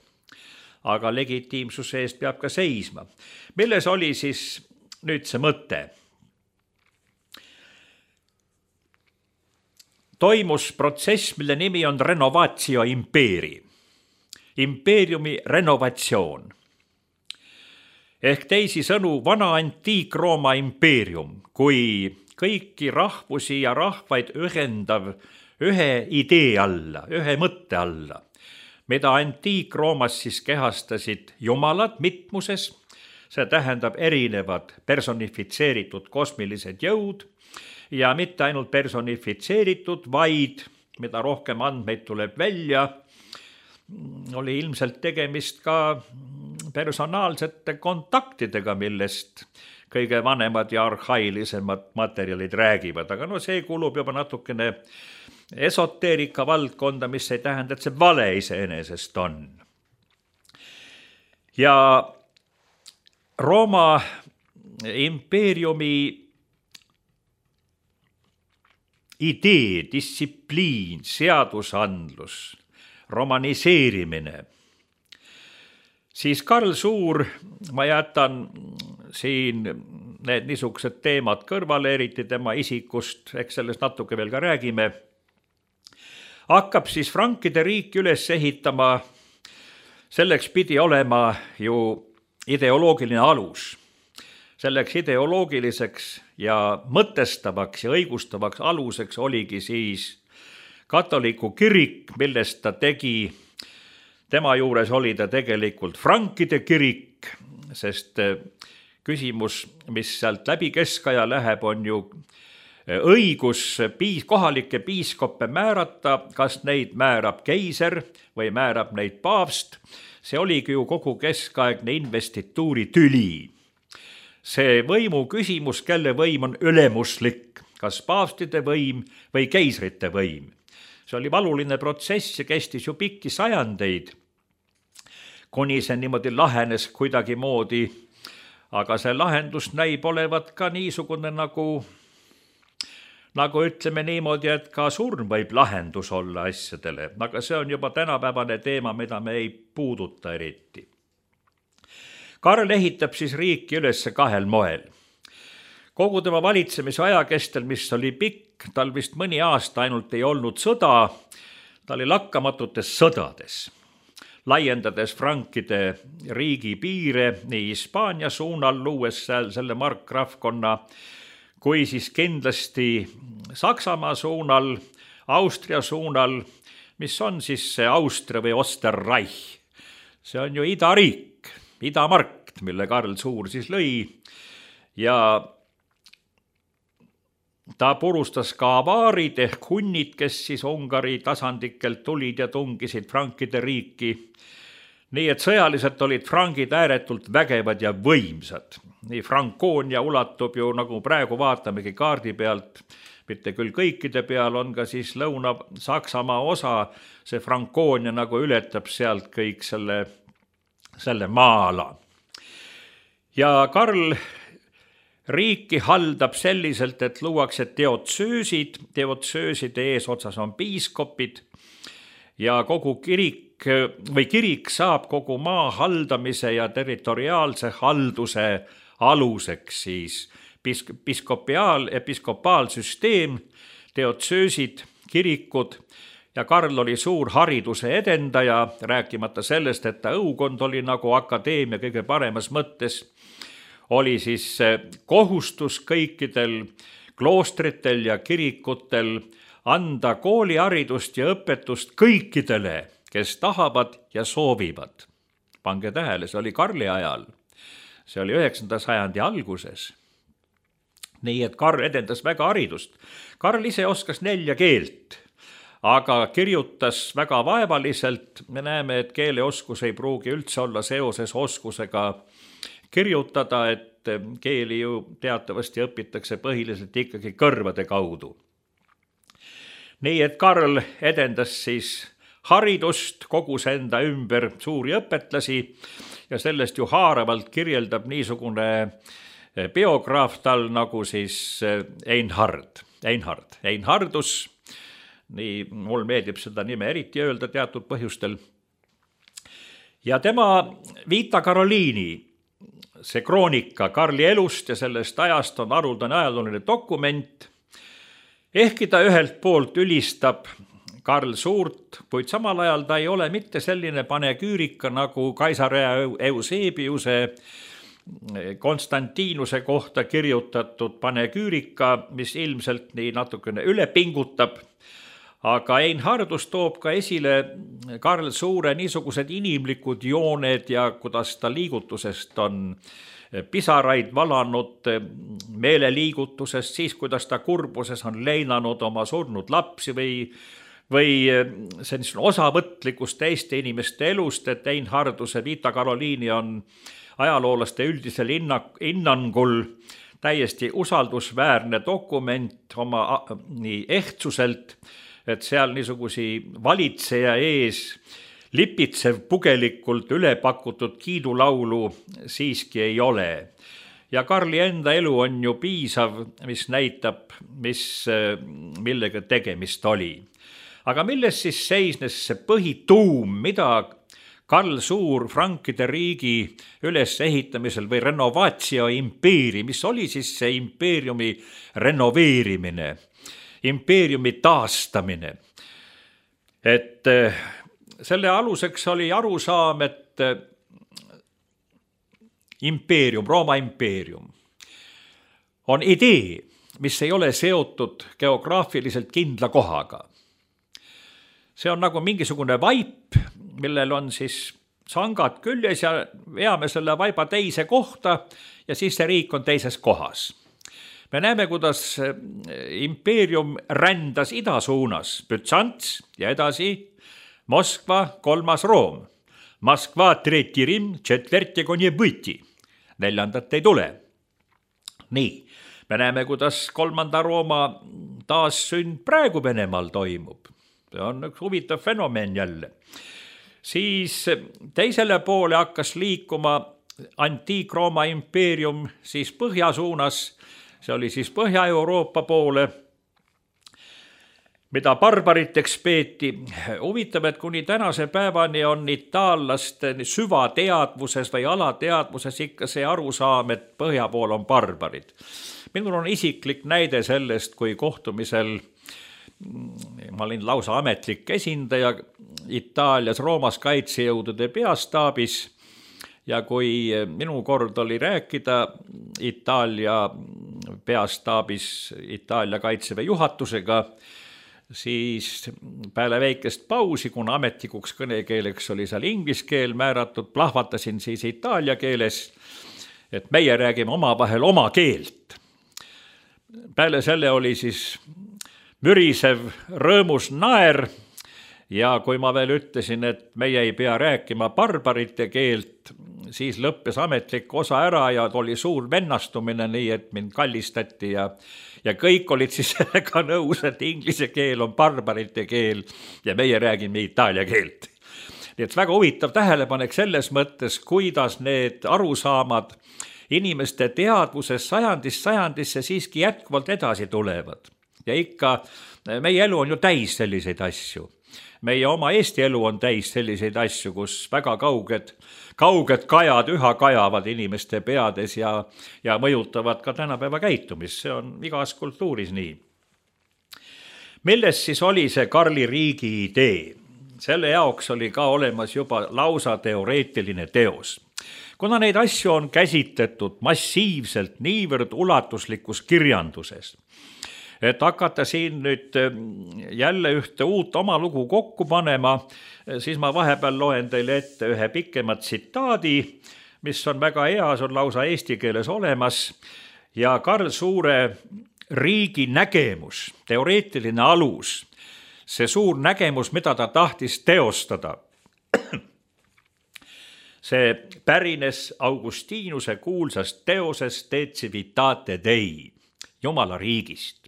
Aga legitiimsuse eest peab ka seisma. Milles oli siis nüüd see mõte? Toimus protsess, mille nimi on renovatio impeeri. Impeeriumi renovatsioon. Ehk teisisõnu vana antiik-Rooma impeerium, kui kõiki rahvusi ja rahvaid ühendav ühe idee alla, ühe mõtte alla, mida antiik-Roomas siis kehastasid jumalad mitmuses, see tähendab erinevad personifitseeritud kosmilised jõud ja mitte ainult personifitseeritud, vaid mida rohkem andmeid tuleb välja, oli ilmselt tegemist ka personaalsete kontaktidega, millest kõige vanemad ja arhailisemad materjalid räägivad, aga no see kulub juba natukene esoteerika valdkonda, mis ei tähenda, et see vale iseenesest on. Ja Rooma impeeriumi idee, distsipliin, seadusandlus, romaniseerimine, siis Karl Suur, ma jätan siin need niisugused teemad kõrvale, eriti tema isikust, eks sellest natuke veel ka räägime, hakkab siis frankide riiki üles ehitama, selleks pidi olema ju ideoloogiline alus. Selleks ideoloogiliseks ja mõtestavaks ja õigustavaks aluseks oligi siis katoliku kirik, millest ta tegi, tema juures oli ta tegelikult frankide kirik, sest küsimus, mis sealt läbi keskaja läheb, on ju õigus kohalikke piiskoppe määrata, kas neid määrab keiser või määrab neid paavst. See oligi ju kogu keskaegne investituuri tüli. See võimu küsimus, kelle võim on ülemuslik, kas paavstide võim või keisrite võim. See oli valuline protsess ja kestis ju pikki sajandeid, kuni see niimoodi lahenes kuidagimoodi, aga see lahendus näib olevat ka niisugune nagu ütleme niimoodi, et ka surm võib lahendus olla asjadele, aga see on juba tänapäevane teema, mida me ei puuduta eriti. Karl ehitab siis riiki üles 2 moel. Kogu tema valitsemise aja kestel, mis oli pikk, tal vist mõni aasta ainult ei olnud sõda, ta oli lakkamatutes sõdades, laiendades frankide riigi piire nii Hispaania suunal, luues seal selle markgrafkonna, kui siis kindlasti Saksamaa suunal, Austria suunal, mis on siis see Austria või Osterreich. See on ju idariik, idamarkt, mille Karl Suur siis lõi ja ta purustas ka avaarid ehk hunnid, kes siis Ungari tasandikelt tulid ja tungisid frankide riiki. Nii et sõjaliselt olid frangid ääretult vägevad ja võimsad. Nii Frankoonia ulatub ju, nagu praegu vaatamegi kaardi pealt, mitte küll kõikide peal, on ka siis Lõuna-Saksamaa osa, see Frankoonia nagu ületab sealt kõik selle maa-ala. Ja Karl riiki haldab selliselt, et luuakse teotsööside eesotsas on piiskopid ja kogu kirik saab kogu maa haldamise ja territoriaalse halduse aluseks siis episkopaalsüsteem, teotsöösid, kirikud ja Karl oli suur hariduse edendaja, rääkimata sellest, et ta õukond oli nagu akadeemia kõige paremas mõttes, oli siis kohustus kõikidel kloostritel ja kirikutel anda kooliharidust ja õpetust kõikidele, kes tahavad ja soovivad. Pange tähele, see oli Karli ajal. See oli 9. sajandi alguses. Nii et Karl edendas väga haridust. Karl ise oskas 4 keelt, aga kirjutas väga vaevaliselt. Me näeme, et keeleoskus ei pruugi üldse olla seoses oskusega kirjutada, et keeli ju teatavasti õpitakse põhiliselt ikkagi kõrvade kaudu. Nii et Karl edendas siis haridust, kogus enda ümber suuri õpetlasi ja sellest ju haaravalt kirjeldab niisugune biograaf tal nagu siis Einhardus, nii mul meeldib seda nime eriti öelda teatud põhjustel. Ja tema Vita Karoliini, see kroonika Karli elust ja sellest ajast on haruldane ajalooline dokument, ehkki ta ühelt poolt ülistab Karl Suurt, kuid samal ajal ta ei ole mitte selline panegüürika nagu Kaisaria Eusebiuse Konstantinuse kohta kirjutatud panegüürika, mis ilmselt nii natukene üle pingutab, aga Einhardus toob ka esile Karl Suure niisugused inimlikud jooned ja kuidas ta liigutusest on pisaraid valanud, meeleliigutusest, siis kuidas ta kurbuses on leinanud oma surnud lapsi või see osavõtlikust teiste inimeste elust, et Einharduse Vita Karoliini on ajaloolaste üldisel hinnangul täiesti usaldusväärne dokument oma nii ehtsuselt, et seal niisugusi valitseja ees lipitsev pugelikult ülepakutud kiidulaulu siiski ei ole. Ja Karli enda elu on ju piisav, mis näitab, millega tegemist oli. Aga milles siis seisnes see põhituum, mida Karl Suur frankide riigi ülesehitamisel või renovatio impeeri, mis oli siis see impeeriumi renoveerimine, impeeriumi taastamine. Et selle aluseks oli arusaam, et impeerium, Rooma impeerium on idee, mis ei ole seotud geograafiliselt kindla kohaga. See on nagu mingisugune vaip, millel on siis sangad küljes ja veame selle vaiba teise kohta ja siis see riik on teises kohas. Me näeme, kuidas impeerium rändas ida suunas, Bütsants ja edasi Moskva, 3. Room. Moskva, 3. Rim, 4. Konjebõti. 4. ei tule. Nii, Me näeme, kuidas 3. Rooma taassünd praegu Venemaal toimub. See on üks huvitav fenomen jälle. Siis teisele poole hakkas liikuma Antiik-Rooma impeerium siis põhja suunas, see oli siis Põhja-Euroopa poole, mida barbariteks peeti. Huvitav, et kuni tänase päevani on itaallaste süvateadvuses või alateadvuses ikka see arusaam, et põhja pool on barbarid. Minul on isiklik näide sellest, kui kohtumisel ma olin lausa ametlik esindaja Itaalias Roomas kaitsejõudude peastaabis ja kui minu kord oli rääkida Itaalia peastaabis Itaalia kaitseväe juhatusega, siis peale väikest pausi, kuna ametlikuks kõnekeeleks oli seal inglise keel määratud, plahvatasin siis itaalia keeles, et meie räägime omavahel oma keelt. Peale selle oli siis mürisev rõõmus naer ja kui ma veel ütlesin, et meie ei pea rääkima barbarite keelt, siis lõppes ametlik osa ära ja oli suur vennastumine, nii et mind kallistati ja kõik olid siis sellega nõus, et inglise keel on barbarite keel ja meie räägime itaalia keelt. Nii et väga huvitav tähelepanek selles mõttes, kuidas need arusaamad inimeste teadvuses sajandist sajandisse siiski jätkuvalt edasi tulevad. Ja ikka meie elu on ju täis selliseid asju. Meie oma Eesti elu on täis selliseid asju, kus väga kauged kajad üha kajavad inimeste peades ja mõjutavad ka tänapäeva käitumist. See on igas kultuuris nii. Milles siis oli see Karli riigi idee? Selle jaoks oli ka olemas juba lausa teoreetiline teos. Kuna neid asju on käsitletud massiivselt niivõrd ulatuslikus kirjanduses, et hakata siin nüüd jälle ühte uut oma lugu kokku panema, siis ma vahepeal loen teile ette ühe pikema tsitaadi, mis on väga hea, see on lausa eesti keeles olemas ja Karl Suure riigi nägemus, teoreetiline alus, see suur nägemus, mida ta tahtis teostada. See pärines Augustinuse kuulsast teosest De Civitate Dei, Jumala riigist.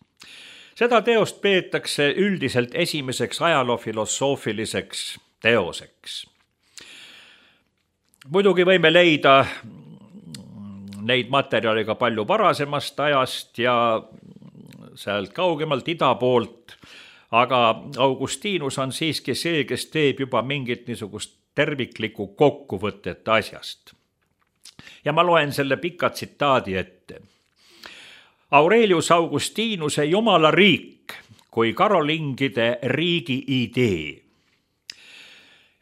Seda teost peetakse üldiselt esimeseks ajaloofilosoofiliseks teoseks. Muidugi võime leida neid materjale ka palju varasemast ajast ja sealt kaugemalt ida poolt, aga Augustinus on siiski see, kes teeb juba mingit niisugust terviklikku kokkuvõtet asjast. Ja ma loen selle pika tsitaadi ette. Aurelius Augustinuse Jumala riik kui karolingide riigi idee.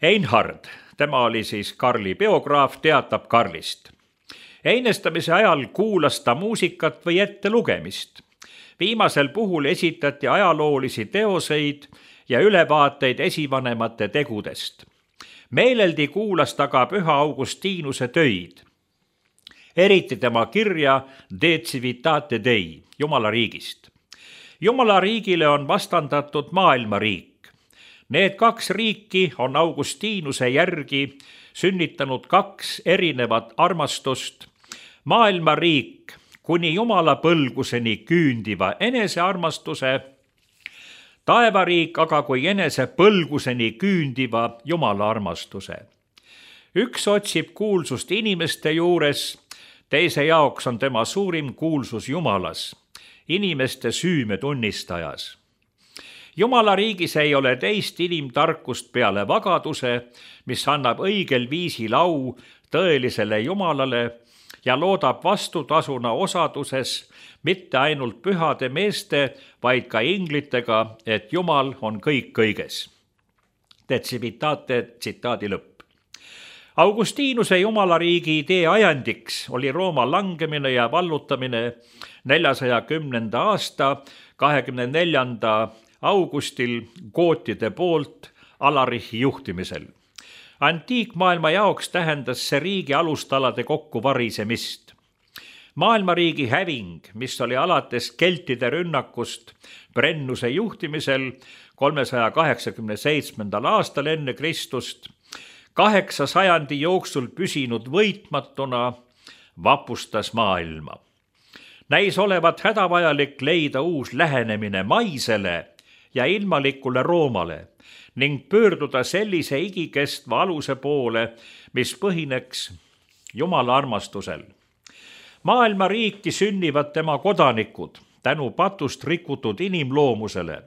Einhard, tema oli siis Karli biograaf, teatab Karlist. Einestamise ajal kuulas ta muusikat või ettelugemist. Viimasel puhul esitati ajaloolisi teoseid ja ülevaateid esivanemate tegudest. Meeleldi kuulas ta ka püha Augustinuse töid. Eriti tema kirja De Civitate Dei, Jumala riigist. Jumala riigile on vastandatud maailmariik. Need kaks riiki on Augustinuse järgi sünnitanud kaks erinevat armastust. Maailmariik kuni Jumala põlguseni küündiva enesearmastuse, taevariik aga kui enese põlguseni küündiva Jumala armastuse. Üks otsib kuulsust inimeste juures, teise jaoks on tema suurim kuulsus Jumalas, inimeste süüme tunnistajas. Jumala riigis ei ole teist inimtarkust peale vagaduse, mis annab õigel viisil au tõelisele Jumalale ja loodab vastutasuna osaduses mitte ainult pühade meeste, vaid ka inglitega, et Jumal on kõik kõiges. De Civitate tsitaadi lõpp. Augustinuse Jumala riigi idee ajandiks oli Rooma langemine ja vallutamine 410. aasta 24. augustil gootide poolt Alarichi juhtimisel. Antiikmaailma jaoks tähendas see riigi alustalade kokkuvarisemist. Maailmariigi häving, mis oli alates keltide rünnakust Brennuse juhtimisel 387. aastal enne Kristust, 8 sajandi jooksul püsinud võitmatuna, vapustas maailma. Näis olevat hädavajalik leida uus lähenemine maisele ja ilmalikule Roomale ning pöörduda sellise igikestva aluse poole, mis põhineks Jumala armastusel. Maailma riiki sünnivad tema kodanikud tänu patust rikutud inimloomusele,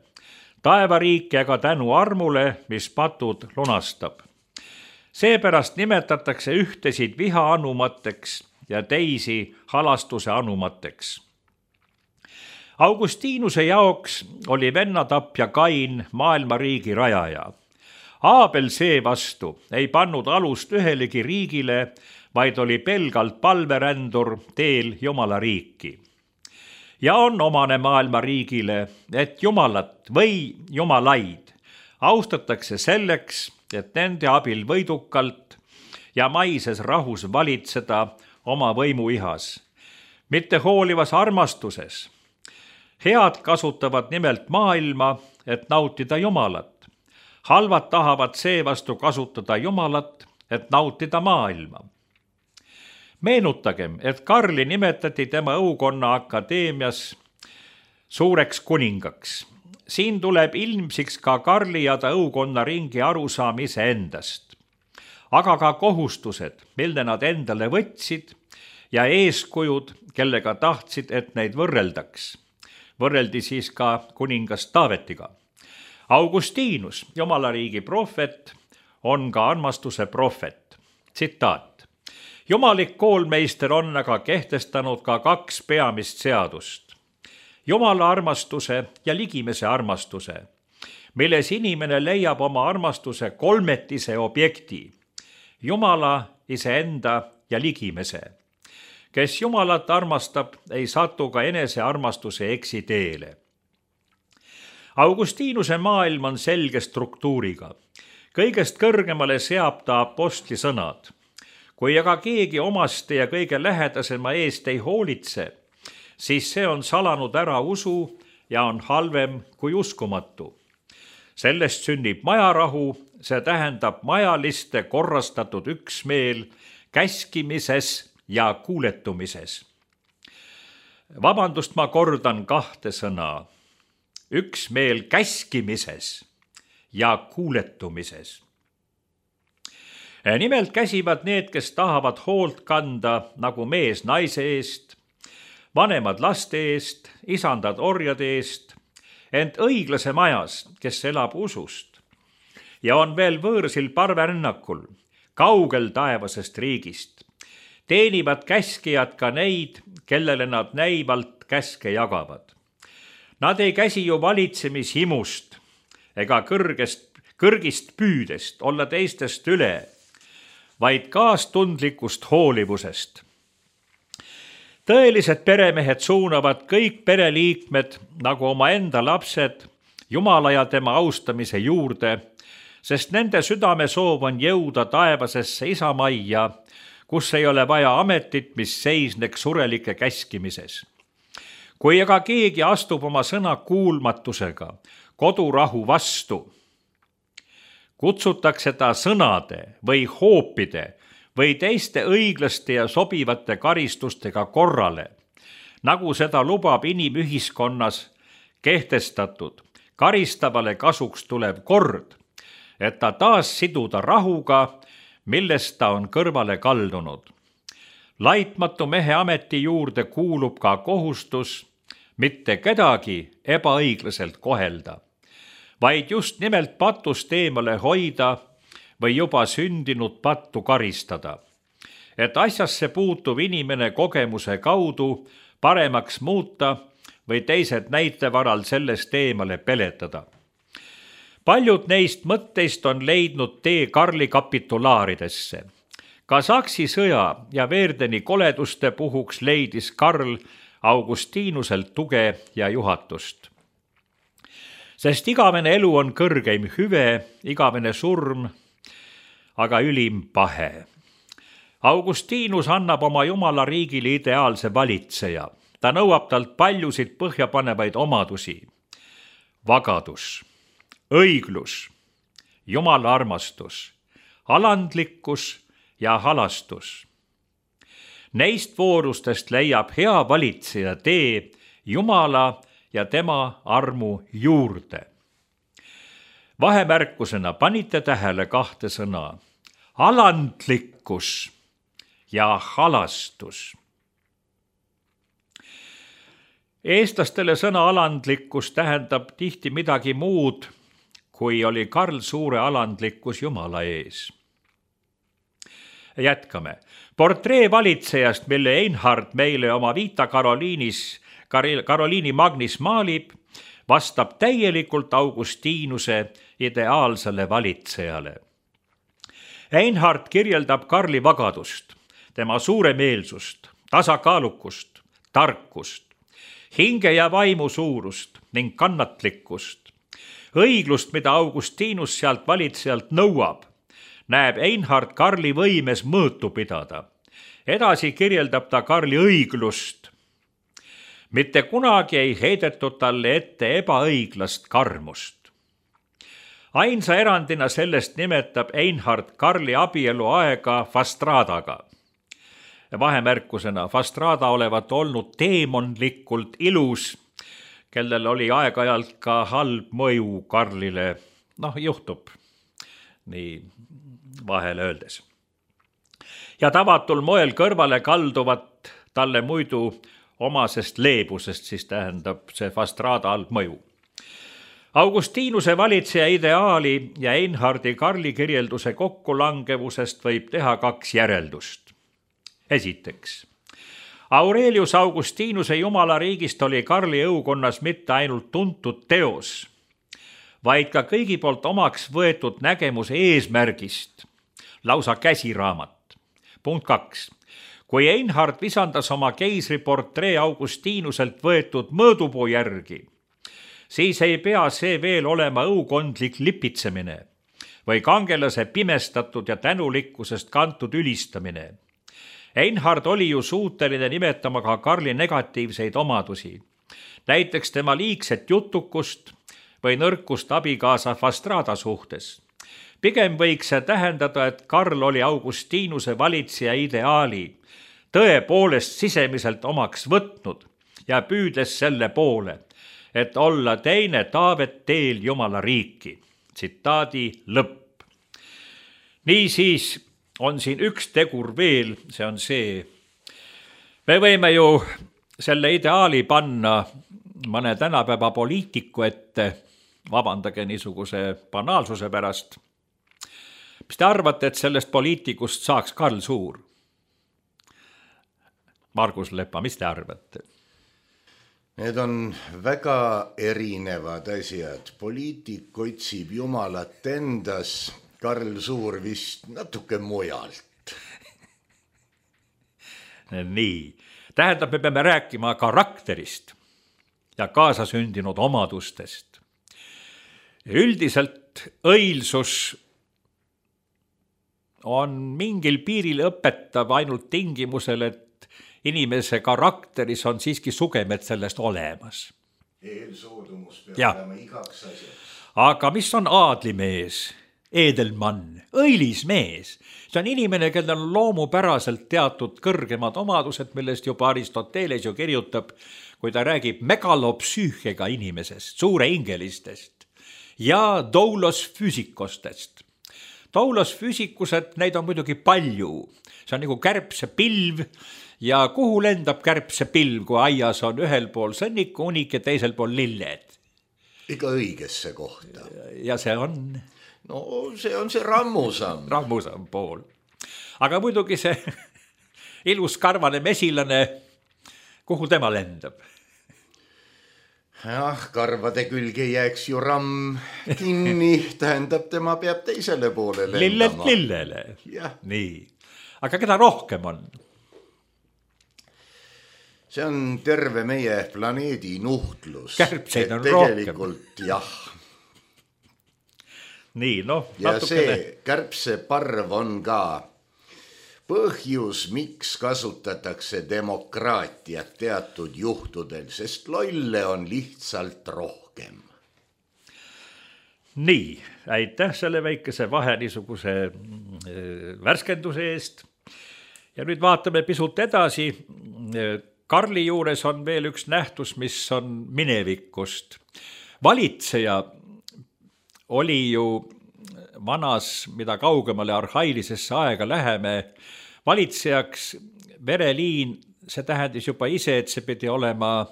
taevariiki aga tänu armule, mis patud lunastab. Seepärast nimetatakse ühtesid viha anumateks ja teisi halastuse anumateks. Augustinuse jaoks oli vennatapja Kain maailma riigi rajaja. Aabel seevastu ei pannud alust ühelegi riigile, vaid oli pelgalt palverändur teel Jumala riiki. Ja on omane maailma riigile, et Jumalat või jumalaid austatakse selleks, et nende abil võidukalt ja maises rahus valitseda oma võimuihas, mitte hoolivas armastuses. Head kasutavad nimelt maailma, et nautida Jumalat. Halvad tahavad seevastu kasutada Jumalat, et nautida maailma. Meenutagem, et Karli nimetati tema õukonna akadeemias suureks kuningaks. Siin tuleb ilmsiks ka Karli ja ta õukonna ringi arusaamise endast, aga ka kohustused, mille nad endale võtsid ja eeskujud, kellega tahtsid, et neid võrreldaks. Võrreldi siis ka kuningas Taavetiga. Augustinus, Jumala riigi prohvet, on ka armastuse prohvet. Tsitaat. Jumalik koolmeister on aga kehtestanud ka 2 peamist seadust. Jumala armastuse ja ligimese armastuse, milles inimene leiab oma armastuse kolmetise objekti, Jumala, iseenda ja ligimese. Kes Jumalat armastab, ei satu ka enesearmastuse eksiteele. Augustinuse maailm on selge struktuuriga. Kõigest kõrgemale seab ta apostli sõnad. Kui aga keegi omaste ja kõige lähedasema eest ei hoolitse, siis see on salanud ära usu ja on halvem kui uskumatu. Sellest sünnib majarahu, see tähendab majaliste korrastatud üksmeel käskimises ja kuuletumises. Vabandust, ma kordan 2 sõna. Üksmeel käskimises ja kuuletumises. Nimelt käsivad need, kes tahavad hoolt kanda nagu mees naise eest, vanemad laste eest, isandad orjade eest, ent õiglase majas, kes elab usust ja on veel võõrsil parverännakul, kaugel taevasest riigist, teenivad käskijad ka neid, kellele nad näivalt käske jagavad. Nad ei käsi ju valitsemishimust ega kõrgist püüdest olla teistest üle, vaid kaastundlikust hoolivusest. Tõelised peremehed suunavad kõik pereliikmed nagu oma enda lapsed Jumala ja tema austamise juurde, sest nende südame soov on jõuda taevasesse isamajja, kus ei ole vaja ametit, mis seisneks surelike käskimises. Kui aga keegi astub oma sõna kuulmatusega kodurahu vastu, kutsutakse ta sõnade või hoopide või teiste õiglaste ja sobivate karistustega korrale, nagu seda lubab inimühiskonnas kehtestatud karistavale kasuks tulev kord, et ta taas siduda rahuga, millest ta on kõrvale kaldunud. Laitmatu mehe ameti juurde kuulub ka kohustus mitte kedagi ebaõiglaselt kohelda, vaid just nimelt patust eemale hoida või juba sündinud pattu karistada, et asjasse puutuv inimene kogemuse kaudu paremaks muuta või teised näitevaral sellest eemale peletada. Paljud neist mõtteist on leidnud tee Karli kapitulaaridesse. Ka Saksi sõja ja Verdeni koleduste puhuks leidis Karl Augustinuselt tuge ja juhatust. Sest igavene elu on kõrgeim hüve, igavene surm, aga ülim pahe. Augustinus annab oma Jumala riigile ideaalse valitseja. Ta nõuab talt paljusid põhjapanevaid omadusi. Vagadus, õiglus, Jumala armastus, alandlikkus ja halastus. Neist voorustest leiab hea valitseja tee Jumala ja tema armu juurde. Vahemärkusena panite tähele 2 sõna: alandlikkus ja halastus. Eestlastele sõna alandlikkus tähendab tihti midagi muud, kui oli Karl Suure alandlikkus Jumala ees. Jätkame. Portree valitsejast, mille Einhard meile oma Vita Karoliini Magnis maalib, vastab täielikult Augustinuse ideaalsele valitsejale. Einhard kirjeldab Karli vagadust, tema suuremeelsust, tasakaalukust, tarkust, hinge ja vaimu suurust ning kannatlikkust. Õiglust, mida Augustinus sealt valitsejalt nõuab, näeb Einhard Karli võimes mõõtu pidada. Edasi kirjeldab ta Karli õiglust. Mitte kunagi ei heidetud talle ette ebaõiglast karmust. Ainsa erandina sellest nimetab Einhard Karli abielu aega Fastradaga. Vahemärkusena Fastrada olevat olnud teemonlikult ilus, kellel oli aeg-ajalt ka halb mõju Karlile. Juhtub nii vahele öeldes. Ja tavatul moel kõrvale kalduvat talle muidu omasest leebusest, siis tähendab see Fastrada halb mõju. Augustinuse valitseja ideaali ja Einhardi Karli kirjelduse kokkulangevusest võib teha 2 järeldust. Esiteks, Aurelius Augustinuse Jumala riigist oli Karli õukonnas mitte ainult tuntud teos, vaid ka kõigi poolt omaks võetud nägemus eesmärgist, lausa käsiraamat. Punkt 2. Kui Einhard visandas oma keisriportree Augustinuselt võetud mõõdupuu järgi, siis ei pea see veel olema õukondlik lipitsemine või kangelase pimestatud ja tänulikkusest kantud ülistamine. Einhard oli ju suuteline nimetama ka Karli negatiivseid omadusi, näiteks tema liigset jutukust või nõrkust abikaasa Fastrada suhtes. Pigem võiks see tähendada, et Karl oli Augustinuse valitseja ideaali tõepoolest sisemiselt omaks võtnud ja püüdles selle poole, et olla teine Taavet teel Jumala riiki. Tsitaadi lõpp. Niisiis on siin üks tegur veel, see on see. Me võime ju selle ideaali panna mõne tänapäeva poliitiku ette, vabandage niisuguse banaalsuse pärast. Mis te arvate, et sellest poliitikust saaks Karl Suur? Margus Lepa, mis te arvate? Need on väga erinevad asjad. Poliitik otsib Jumalat endas, Karl Suur vist natuke mujalt. Nii, tähendab, me peame rääkima karakterist ja kaasasündinud omadustest. Üldiselt õilsus on mingil piiril õpetav ainult tingimusel, et inimese karakteris on siiski sugemed sellest olemas. Eelsoodumus peab olema igaks asjaks. Aga mis on aadlimees, eedelmann, õilis mees? See on inimene, kellel on loomupäraselt teatud kõrgemad omadused, millest juba Aristoteles ju kirjutab, kui ta räägib megalopsüühega inimesest, suure ingelistest ja doulos füüsikostest. Doulos füüsikused, neid on muidugi palju. See on nagu kärbse pilv ja kuhu lendab kärbse pilv, kui aias on ühel pool sõnniku unik ja teisel pool lilled? Ikka õigesse kohta. Ja see on? No see on see rammusamm. Rammusamm pool. Aga muidugi see ilus karvane mesilane, kuhu tema lendab? Karvade külge jääks ju ramm kinni, tähendab, tema peab teisele poole lendama. Lillelt lillele. Ja. Nii. Aga keda rohkem on? See on terve meie planeedi nuhtlus. Kärbseid on tegelikult, jah. Nii, ja see kärbse parv on ka põhjus, miks kasutatakse demokraatiat teatud juhtudel, sest lolle on lihtsalt rohkem. Nii, aitäh selle väikese vahe niisuguse värskenduse eest. Ja nüüd vaatame pisut edasi. Karli juures on veel üks nähtus, mis on minevikust. Valitseja oli ju vanas, mida kaugemale arhailisesse aega läheme, valitsejaks vereliin, see tähendis juba ise, et see pidi olema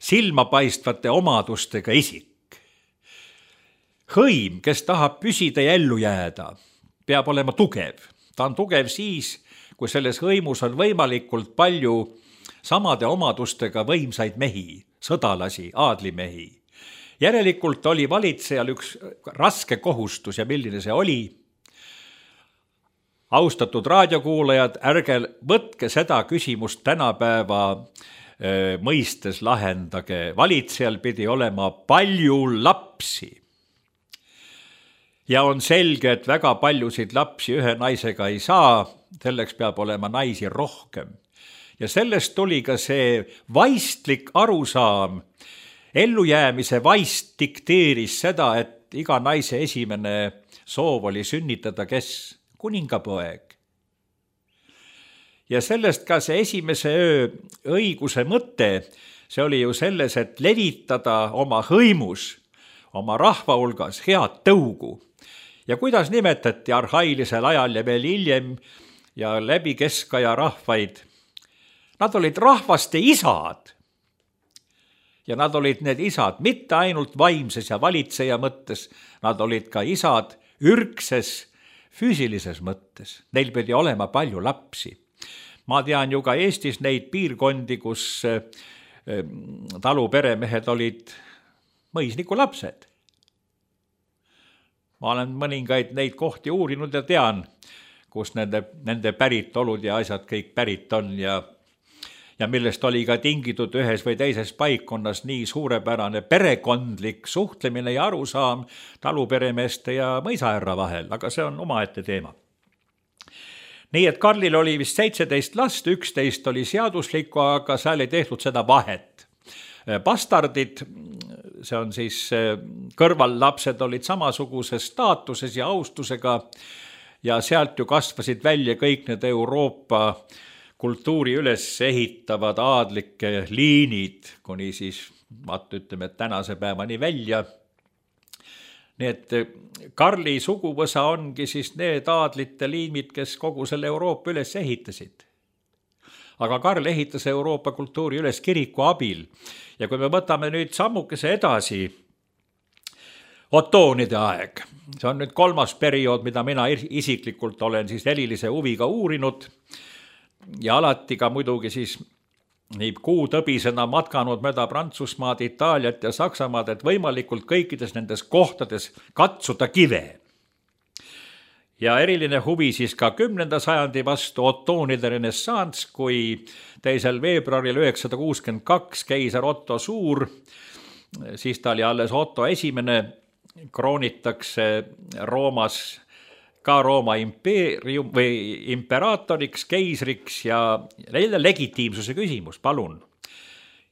silmapaistvate omadustega isik. Hõim, kes tahab püsida ja ellu jääda, peab olema tugev. Ta on tugev siis, kui selles hõimus on võimalikult palju samade omadustega võimsaid mehi, sõdalasi, aadlimehi. Järelikult oli valitsejal üks raske kohustus ja milline see oli. Austatud raadiokuulajad, ärge võtke seda küsimust tänapäeva mõistes lahendage. Valitsejal pidi olema palju lapsi. Ja on selge, et väga paljusid lapsi ühe naisega ei saa, selleks peab olema naisi rohkem. Ja sellest tuli ka see vaistlik arusaam. Ellujäämise vaist dikteeris seda, et iga naise esimene soov oli sünnitada kes? Kuningapoeg. Ja sellest ka see esimese öö õiguse mõte, see oli ju selles, et levitada oma hõimus, oma rahva hulgas head tõugu. Ja kuidas nimetati arhailisel ajal ja veel hiljem ja läbi keskaja rahvaid? Nad olid rahvaste isad. Ja nad olid need isad mitte ainult vaimses ja valitseja mõttes, nad olid ka isad ürgses, füüsilises mõttes. Neil pidi olema palju lapsi. Ma tean ju ka Eestis neid piirkondi, kus taluperemehed olid mõisniku lapsed. Ma olen mõningaid neid kohti uurinud ja tean, kus nende päritolud ja asjad kõik pärit on ja millest oli ka tingitud ühes või teises paikkonnas nii suurepärane perekondlik suhtlemine ja arusaam taluperemeeste ja mõisaherra vahel, aga see on omaette teema. Nii et Karlil oli vist 17 last, 11 oli seaduslikku, aga seal ei tehtud seda vahet. Bastardid, see on siis kõrvallapsed, olid samasuguses staatuses ja austusega ja sealt ju kasvasid välja kõik need Euroopa kultuuri üles ehitavad aadlike liinid, kuni siis, ütleme, et tänase päevani välja. Nii et Karli suguvõsa ongi siis need aadlite liimid, kes kogu selle Euroopa üles ehitasid. Aga Karl ehitas Euroopa kultuuri üles kiriku abil. Ja kui me võtame nüüd sammukese edasi, otoonide aeg, see on nüüd 3. periood, mida mina isiklikult olen siis erilise huviga uurinud ja alati ka muidugi siis nii kuutõbisena matkanud mööda Prantsusmaad, Itaaliat ja Saksamaad, et võimalikult kõikides nendes kohtades katsuda kive. Ja eriline huvi siis ka 10. sajandi vastu otoonide renessants, kui 2. veebruaril 962 keiser Otto Suur, siis ta oli alles Otto esimene, kroonitakse Roomas ka Rooma impeerium või imperaatoriks, keisriks ja legitiimsuse küsimus, palun.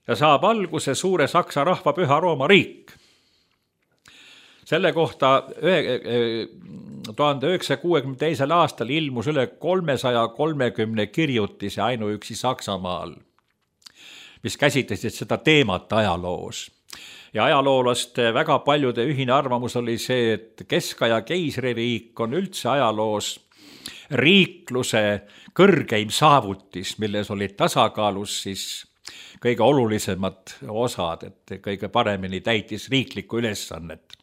Ja saab alguse suure Saksa rahva püha Rooma riik. Selle kohta 1962. aastal ilmus üle 330 kirjutise ainuüksi Saksamaal, mis käsitlesid seda teemat ajaloos. Ja ajaloolaste väga paljude ühine arvamus oli see, et keskaja keisririik on üldse ajaloos riikluse kõrgeim saavutis, milles olid tasakaalus siis kõige olulisemad osad, et kõige paremini täitis riiklikku ülesannet.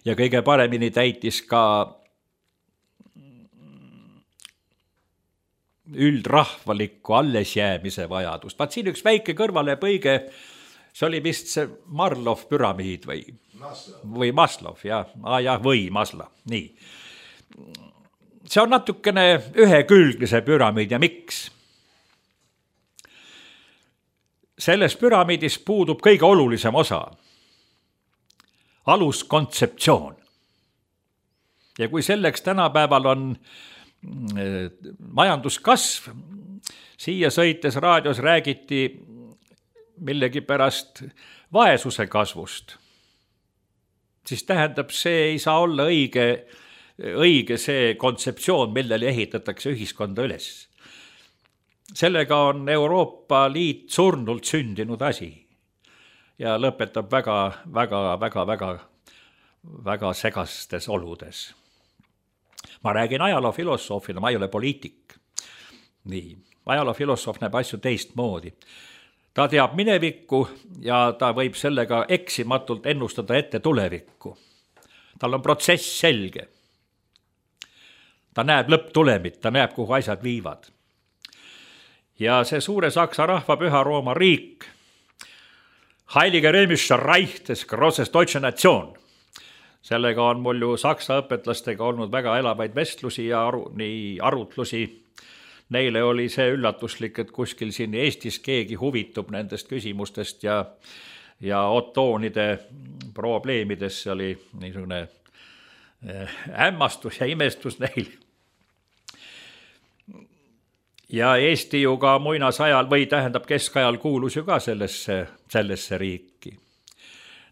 Ja kõige paremini täitis ka üldrahvalikku allesjäämise vajadust. Vaat siin üks väike kõrvalepõige, see oli vist see Marlov püramiid või Maslov, või Masla, nii. See on natukene ühekülgne see püramiid ja miks? Selles püramiidis puudub kõige olulisem osa. Aluskontseptsioon. Ja kui selleks tänapäeval on majanduskasv, siia sõites raadios räägiti millegi pärast vaesuse kasvust, siis tähendab, see ei saa olla õige see kontseptsioon, millele ehitatakse ühiskonda üles. sellega on Euroopa Liit surnult sündinud asi ja lõpetab väga segastes oludes. Ma räägin ajaloofilosoofina, ma ei ole poliitik. Nii, ajaloofilosoof näeb asju teistmoodi. Ta teab minevikku ja ta võib sellega eksimatult ennustada ette tulevikku. Tal on protsess selge. Ta näeb lõpptulemit, ta näeb, kuhu asjad viivad. Ja see suure Saksa rahva Püha Rooma riik, Heilige Römischer Reich des Grosses Deutsche Nation, sellega on mul ju saksa õpetlastega olnud väga elavaid vestlusi ja arutlusi. Neile oli see üllatuslik, et kuskil siin Eestis keegi huvitub nendest küsimustest ja otoonide probleemidesse oli niisugune hämmastus ja imestus neil. Ja Eesti ju ka muinasajal või tähendab keskajal kuulus ju ka sellesse riiki.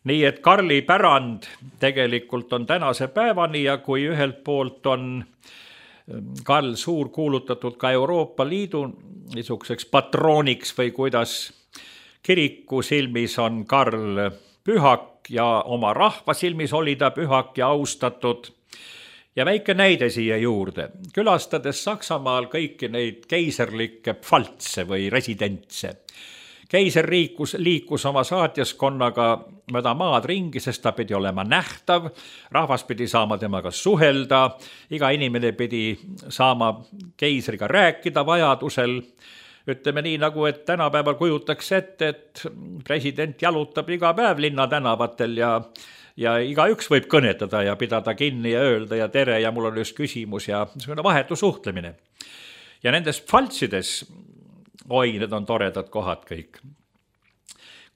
Nii et Karli pärand tegelikult on tänase päevani ja kui ühelt poolt on Karl Suur kuulutatud ka Euroopa Liidu niisuguseks patrooniks või kuidas kiriku silmis on Karl pühak ja oma rahva silmis oli ta pühak ja austatud. Ja väike näide siia juurde. Külastades Saksamaal kõiki neid keiserlikke pfaltse või residentse. Keiser liikus oma saatjaskonnaga mööda maad ringi, sest ta pidi olema nähtav, rahvas pidi saama temaga suhelda, iga inimene pidi saama keisriga rääkida vajadusel. Ütleme nii nagu, et tänapäeval kujutaks ette, et president jalutab iga päev linna tänavatel ja igaüks võib kõnetada ja pidada kinni ja öelda ja tere ja mul on just küsimus ja vahetu suhtlemine. Ja nendes pfaltsides, need on toredad kohad kõik.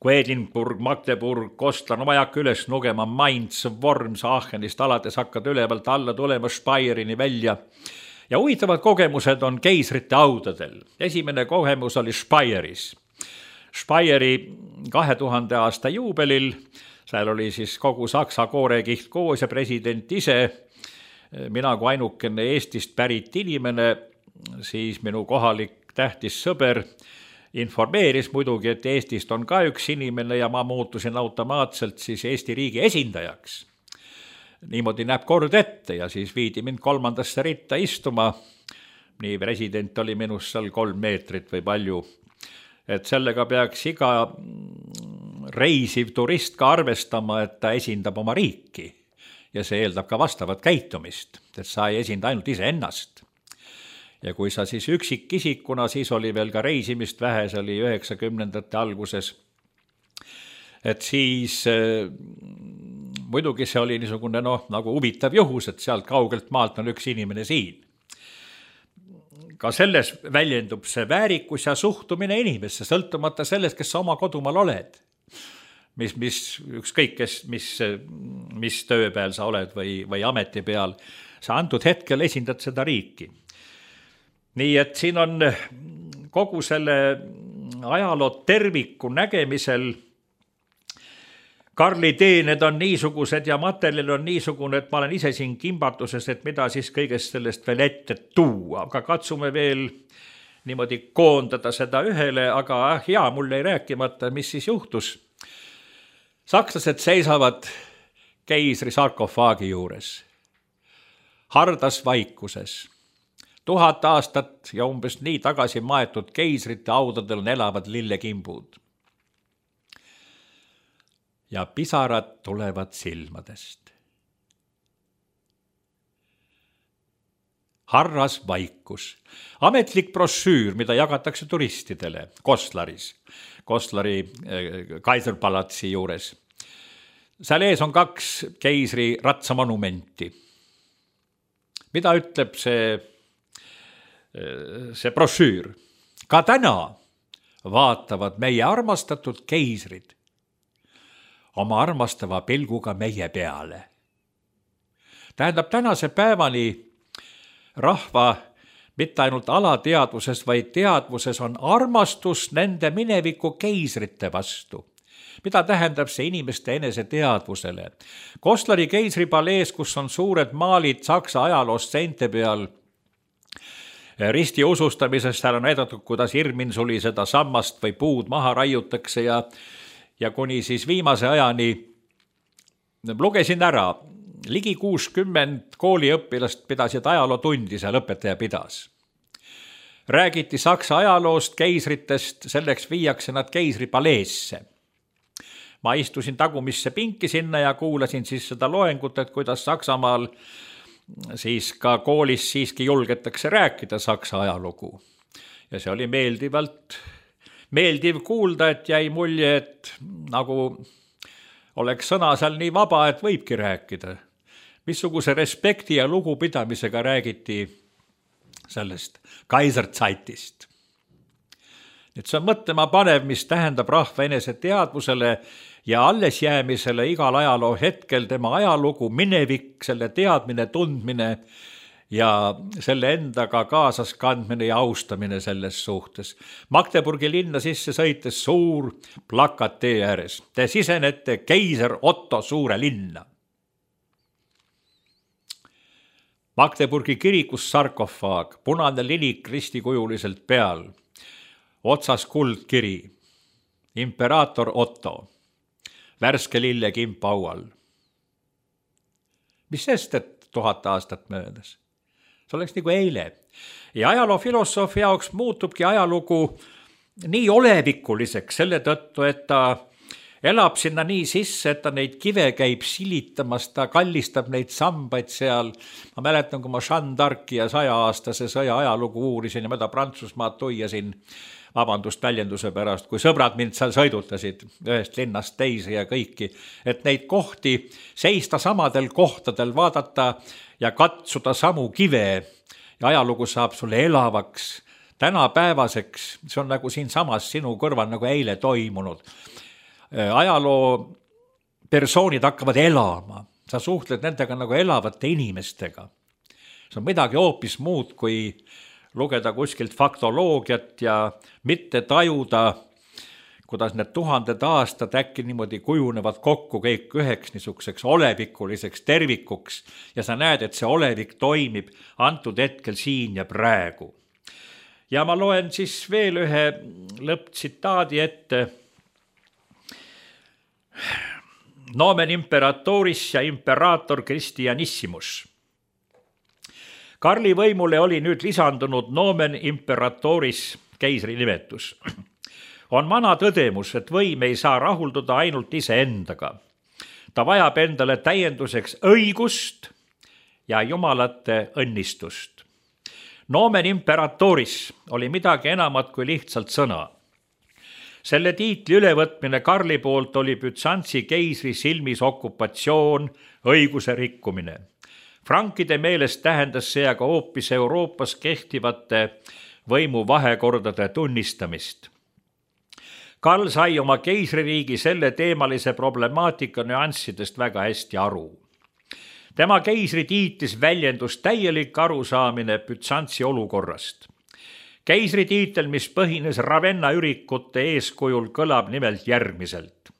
Kui Edinburg, Magdeburg, Kostlan, ma ei hakka üles nugema, Mainz, Worms, Aachenist alates hakkad ülevalt alla tulema Speyerini välja. Ja huvitavad kogemused on keisrite audadel. Esimene kogemus oli Speyeris. Speyeri 2000 aasta juubelil, seal oli siis kogu Saksa koorekiht koos ja president ise, mina kui ainukene Eestist pärit inimene, siis minu kohalik tähtis sõber informeeris muidugi, et Eestist on ka üks inimene ja ma muutusin automaatselt siis Eesti riigi esindajaks. Niimoodi näeb kord ette ja siis viidi mind 3. ritta istuma. Nii president oli minust seal 3 meetrit või palju. Et sellega peaks iga reisiv turist ka arvestama, et ta esindab oma riiki ja see eeldab ka vastavat käitumist, et sa ei esinda ainult iseennast. Ja kui sa siis üksikisikuna, siis oli veel ka reisimist vähe, see oli 90ndate alguses, et siis muidugi see oli niisugune nagu huvitav juhus, et sealt kaugelt maalt on üks inimene siin. Ka selles väljendub see väärikus ja suhtumine inimesse, sõltumata sellest, kes sa oma kodumaal oled. Ükskõik, mis tööpeal sa oled või ameti peal, sa antud hetkel esindad seda riiki. Nii et siin on kogu selle ajaloo terviku nägemisel Karli teened on niisugused ja materjal on niisugune, et ma olen ise siin kimbatuses, et mida siis kõigest sellest veel ette tuua. Aga katsume veel niimoodi koondada seda ühele, aga hea, mul ei rääkimata, mis siis juhtus. Sakslased seisavad keisri sarkofaagi juures, hardas vaikuses. 1000 aastat ja umbes nii tagasi maetud keisrite audadel on elavad lillekimbud. Ja pisarad tulevad silmadest. Harras vaikus. Ametlik brošüür, mida jagatakse turistidele Koslaris, Koslari Kaiserpalatsi juures. Seal ees on 2 keisri ratsamonumenti. Mida ütleb see brošüür? Ka täna vaatavad meie armastatud keisrid oma armastava pilguga meie peale. Tähendab, tänase päevani rahva mitte ainult alateadvuses, vaid teadvuses on armastus nende mineviku keisrite vastu. Mida tähendab see inimeste enese teadvusele? Koslari keisripalees, kus on suured maalid Saksa ajaloost seinte peal, ristiusustamisest, seal on näidatud, kuidas Irminsuli seda sammast või puud maha raiutakse ja kuni siis viimase ajani lugesin ära, ligi 60 kooliõpilast pidasid ajalootundi, seal õpetaja pidas. Räägiti Saksa ajaloost, keisritest, selleks viiakse nad keisripaleesse. Ma istusin tagumisse pinki sinna ja kuulasin siis seda loengut, et kuidas Saksamaal siis ka koolis siiski julgetakse rääkida Saksa ajalugu. Ja see oli meeldiv kuulda, et jäi mulje, et nagu oleks sõna seal nii vaba, et võibki rääkida. Missuguse respekti ja lugupidamisega räägiti sellest Kaiserzeitist. Nüüd see on mõtlema panev, mis tähendab rahva enese teadvusele ja alles jäämisele igal ajaloo hetkel tema ajalugu, minevik, selle teadmine, tundmine ja selle endaga kaasas kandmine ja austamine selles suhtes. Magdeburgi linna sisse sõites suur plakat tee ääres. Te sisenete keiser Otto suure linna. Magdeburgi kirikus sarkofaag, punane lilik ristikujuliselt peal, otsas kuldkiri, imperaator Otto, värske lillekimp aual. Mis sest, et 1000 aastat möödas? See oleks nagu eile. Ja ajaloofilosoofi jaoks muutubki ajalugu nii olevikuliseks selle tõttu, et ta elab sinna nii sisse, et ta neid kive käib silitamas, ta kallistab neid sambaid seal. Ma mäletan, kui ma Jeanne d'Arci ja 100-aastase sõja ajalugu uurisin ja ma ta Prantsusmaad tuiasin, vabandust väljenduse pärast, kui sõbrad mind seal sõidutasid ühest linnast teise ja kõiki, et neid kohti seista samadel kohtadel, vaadata ja katsuda samu kive ja ajalugu saab sulle elavaks, tänapäevaseks, see on nagu siin samas sinu kõrval nagu eile toimunud. Ajaloo persoonid hakkavad elama, sa suhtled nendega nagu elavate inimestega. See on midagi hoopis muud, kui lugeda kuskilt faktoloogiat ja mitte tajuda, kuidas need 1000 aastad äkki niimoodi kujunevad kokku kõik üheks niisuguseks olevikuliseks tervikuks ja sa näed, et see olevik toimib antud hetkel siin ja praegu. Ja ma loen siis veel ühe lõpptsitaadi ette. Nomen imperatoris ja imperaator Christianissimus. Karli võimule oli nüüd lisandunud nomen imperatoris keisri nimetus. On vana tõdemus, et võim ei saa rahulduda ainult iseendaga. Ta vajab endale täienduseks õigust ja jumalate õnnistust. Nomen imperatoris oli midagi enamat kui lihtsalt sõna. Selle tiitli ülevõtmine Karli poolt oli Bütsantsi keisri silmis okupatsioon, õiguse rikkumine. Frankide meelest tähendas see aga hoopis Euroopas kehtivate võimu vahekordade tunnistamist. Karl sai oma keisririigi selle teemalise problemaatika nüanssidest väga hästi aru. Tema keisri tiitlis väljendus täielik arusaamine Bütsantsi olukorrast. Keisri tiitel, mis põhines Ravenna ürikute eeskujul, kõlab nimelt järgmiselt.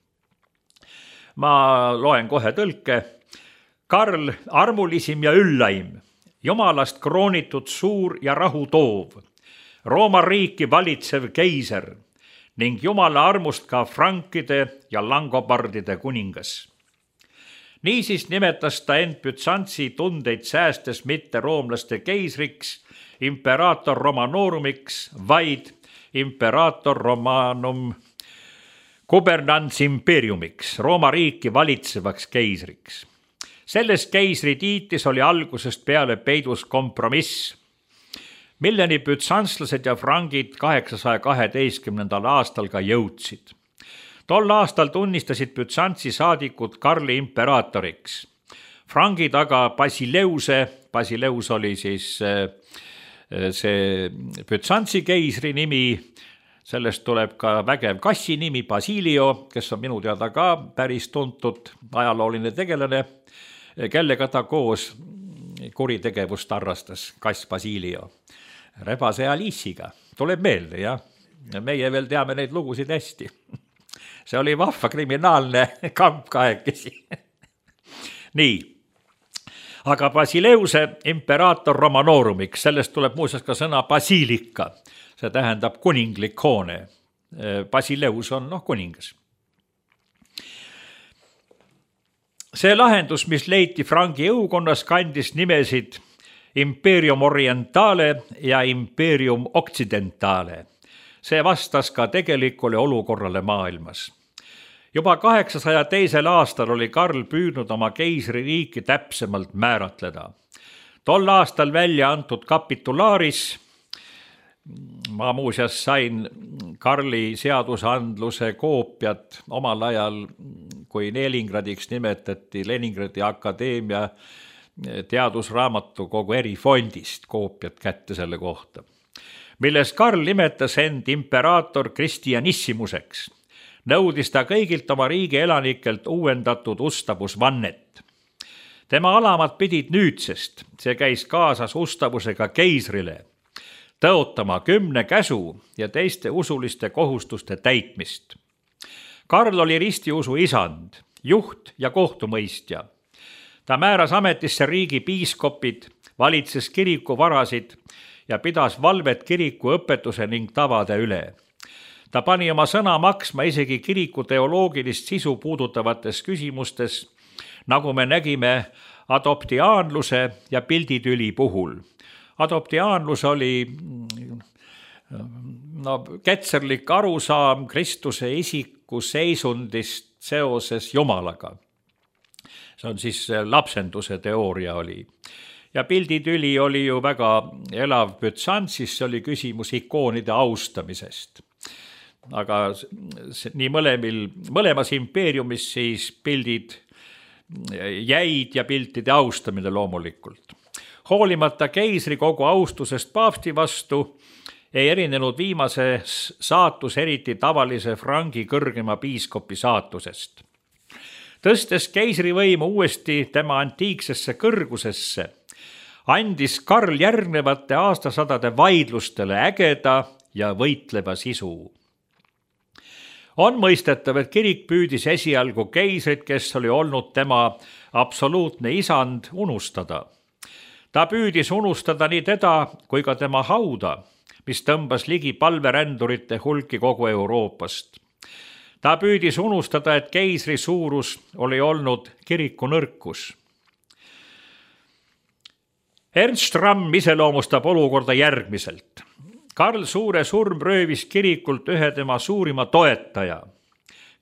Ma loen kohe tõlke. Karl, armulisim ja üllaim, jumalast kroonitud suur ja rahu toov, Rooma riiki valitsev keiser ning jumala armust ka frankide ja langobardide kuningas. Niisiis nimetas ta end Bütsantsi tundeid säästes mitte roomlaste keisriks, imperaator Romanoorumiks, vaid imperaator Romanum Gubernans imperiumiks, Rooma riiki valitsevaks keisriks. Selles keisri tiitis oli algusest peale peidus kompromiss, milleni bütsantslased ja frangid 812. aastal ka jõudsid. Tol aastal tunnistasid Bütsantsi saadikud Karli imperaatoriks. Frangid aga Basileus oli siis see Bütsantsi keisri nimi, sellest tuleb ka vägev kassi nimi Basilio, kes on minu teada ka päris tuntud ajalooline tegelane, kellega ta koos kuritegevust harrastas, kass Basilio. Rebase Aliisiga, tuleb meelde, jah. Meie veel teame neid lugusid hästi. See oli vahva kriminaalne kamp kahekesi. Nii. aga Basileuse imperaator Romanoorumiks, sellest tuleb muuseas ka sõna basiilika, see tähendab kuninglik hoone. Basileus on kuningas. See lahendus, mis leiti Frangi jõukonnas, kandis nimesid Imperium Orientale ja Imperium Occidentale. See vastas ka tegelikule olukorrale maailmas. Juba 802. aastal oli Karl püüdnud oma keisririiki täpsemalt määratleda. Tol aastal välja antud kapitulaaris, ma muuseas sain Karli seadusandluse koopiat omal ajal, kui Leningradiks nimetati Leningradi Akadeemia teadusraamatukogu erifondist koopiat kätte selle kohta, milles Karl nimetas end imperaator Christianissimuseks. Nõudis ta kõigilt oma riigi elanikelt uuendatud ustavusvannet. Tema alamad pidid nüüdsest, see käis kaasas ustavusega keisrile, tõotama 10 käsu ja teiste usuliste kohustuste täitmist. Karl oli ristiusu isand, juht ja kohtumõistja. Ta määras ametisse riigi piiskopid, valitses kirikuvarasid ja pidas valvet kiriku õpetuse ning tavade üle. Ta pani oma sõna maksma isegi kiriku teoloogilist sisu puudutavates küsimustes, nagu me nägime adoptiaanluse ja pilditüli puhul. Adoptiaanlus oli ketserlik arusaam Kristuse isiku seisundist seoses Jumalaga. See on siis lapsenduse teooria oli. Ja pilditüli oli ju väga elav Bütsantsis, see oli küsimus ikoonide austamisest. Aga nii mõlemas impeeriumis siis pildid jäid ja piltide austamine loomulikult. Hoolimata keisri kogu austusest paavsti vastu ei erinenud viimase saatus eriti tavalise Frangi kõrgema piiskopi saatusest. Tõstes keisrivõimu uuesti tema antiiksesse kõrgusesse, andis Karl järgnevate aastasadade vaidlustele ägeda ja võitleva sisu. On mõistetav, et kirik püüdis esialgu keisrit, kes oli olnud tema absoluutne isand, unustada. Ta püüdis unustada nii teda kui ka tema hauda, mis tõmbas ligi palverändurite hulki kogu Euroopast. Ta püüdis unustada, et keisri suurus oli olnud kiriku nõrkus. Ernst Ramm iseloomustab olukorda järgmiselt. Karl Suure surm röövis kirikult ühe tema suurima toetaja,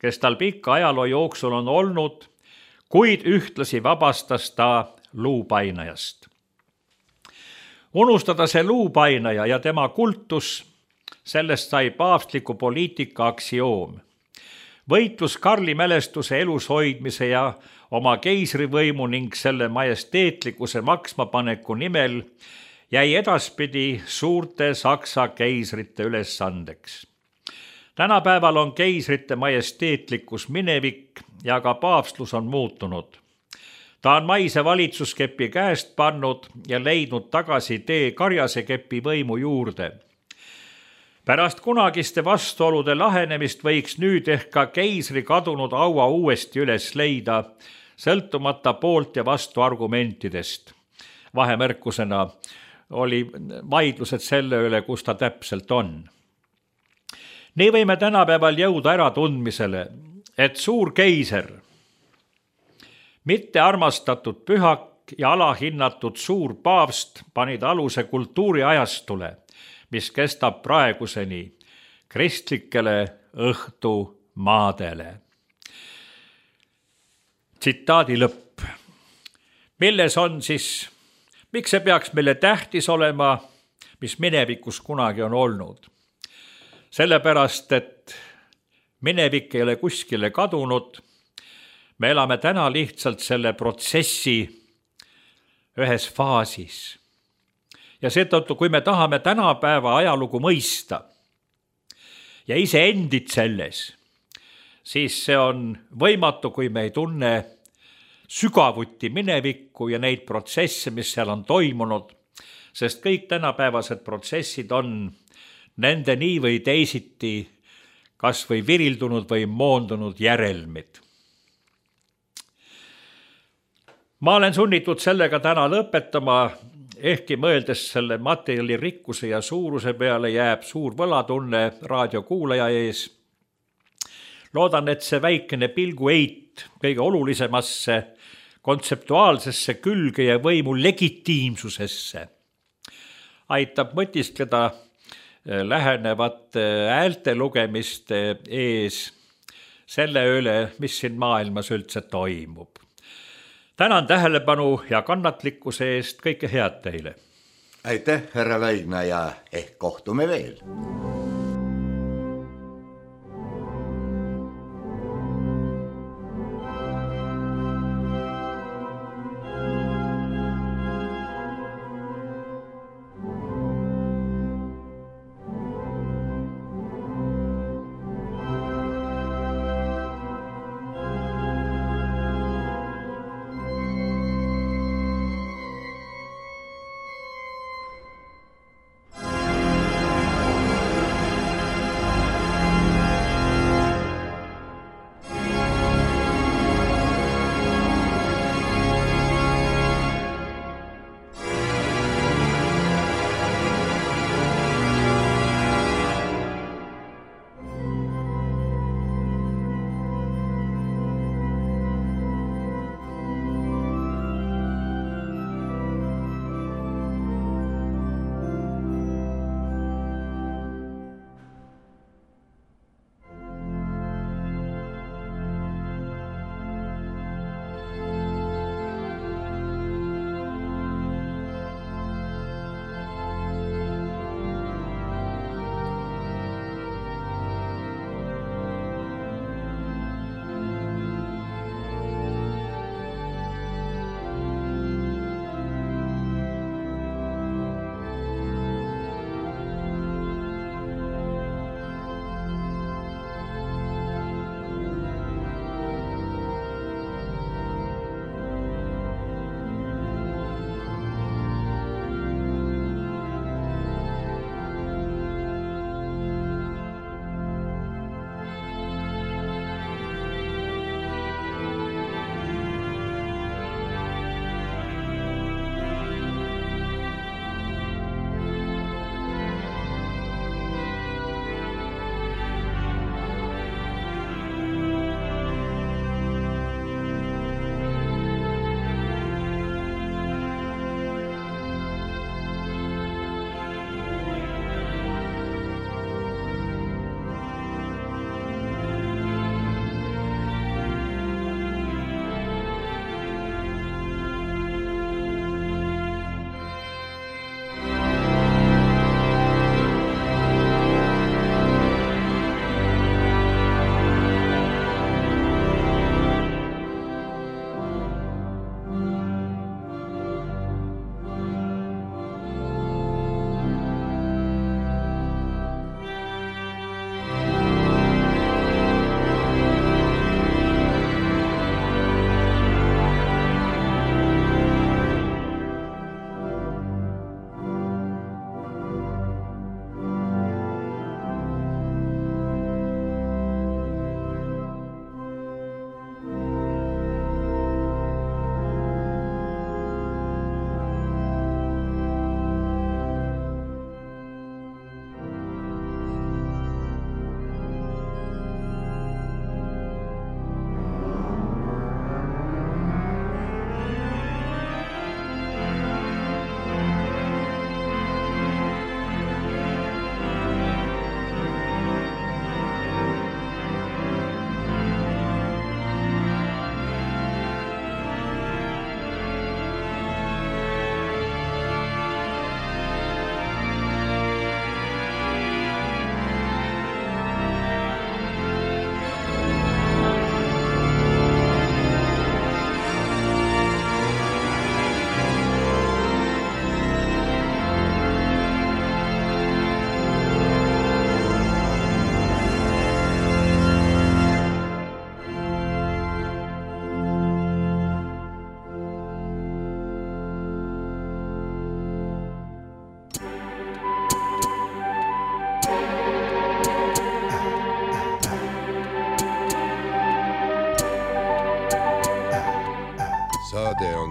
kes tal pikka ajaloo jooksul on olnud, kuid ühtlasi vabastas ta luupainajast. Unustada see luupainaja ja tema kultus, sellest sai paavstliku poliitika aktsioom. Võitlus Karli mälestuse elus hoidmise ja oma keisrivõimu ning selle majesteetlikkuse maksmapaneku nimel jäi edaspidi suurte Saksa keisrite ülesandeks. Tänapäeval on keisrite majesteetlikkus minevik ja ka paavstlus on muutunud. Ta on maise valitsuskepi käest pannud ja leidnud tagasi tee karjasekepi võimu juurde. Pärast kunagiste vastuolude lahenemist võiks nüüd ehk ka keisri kadunud aua uuesti üles leida, sõltumata poolt ja vastu argumentidest. Vahemärkusena oli vaidlused selle üle, kus ta täpselt on. Nii võime tänapäeval jõuda äratundmisele, et suur keiser, mitte armastatud pühak ja alahinnatud suur paavst panid aluse kultuuriajastule, mis kestab praeguseni kristlikele õhtumaadele. Tsitaadi lõpp. Milles on siis, miks see peaks meile tähtis olema, mis minevikus kunagi on olnud? Sellepärast, et minevik ei ole kuskile kadunud, me elame täna lihtsalt selle protsessi ühes faasis. Ja seetõttu, kui me tahame tänapäeva ajalugu mõista ja iseendid selles, siis see on võimatu, kui me ei tunne sügavuti minevikku ja neid protsesse, mis seal on toimunud, sest kõik tänapäevased protsessid on nende nii või teisiti kas või virildunud või moondunud järelmid. Ma olen sunnitud sellega täna lõpetama, ehkki mõeldes selle materjali rikkuse ja suuruse peale jääb suur võlatunne raadiokuulaja ees. Loodan, et see väikene pilguheit kõige olulisemasse kontseptuaalsesse külge ja võimu legitiimsusesse aitab mõtiskleda lähenevate häälte lugemiste ees selle üle, mis siin maailmas üldse toimub. Tänan tähelepanu ja kannatlikkuse eest, kõike head teile. Aitäh, härra Laidna, ja ehk kohtume veel.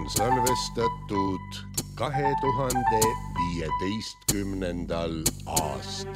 salvestatud 2015. aastal.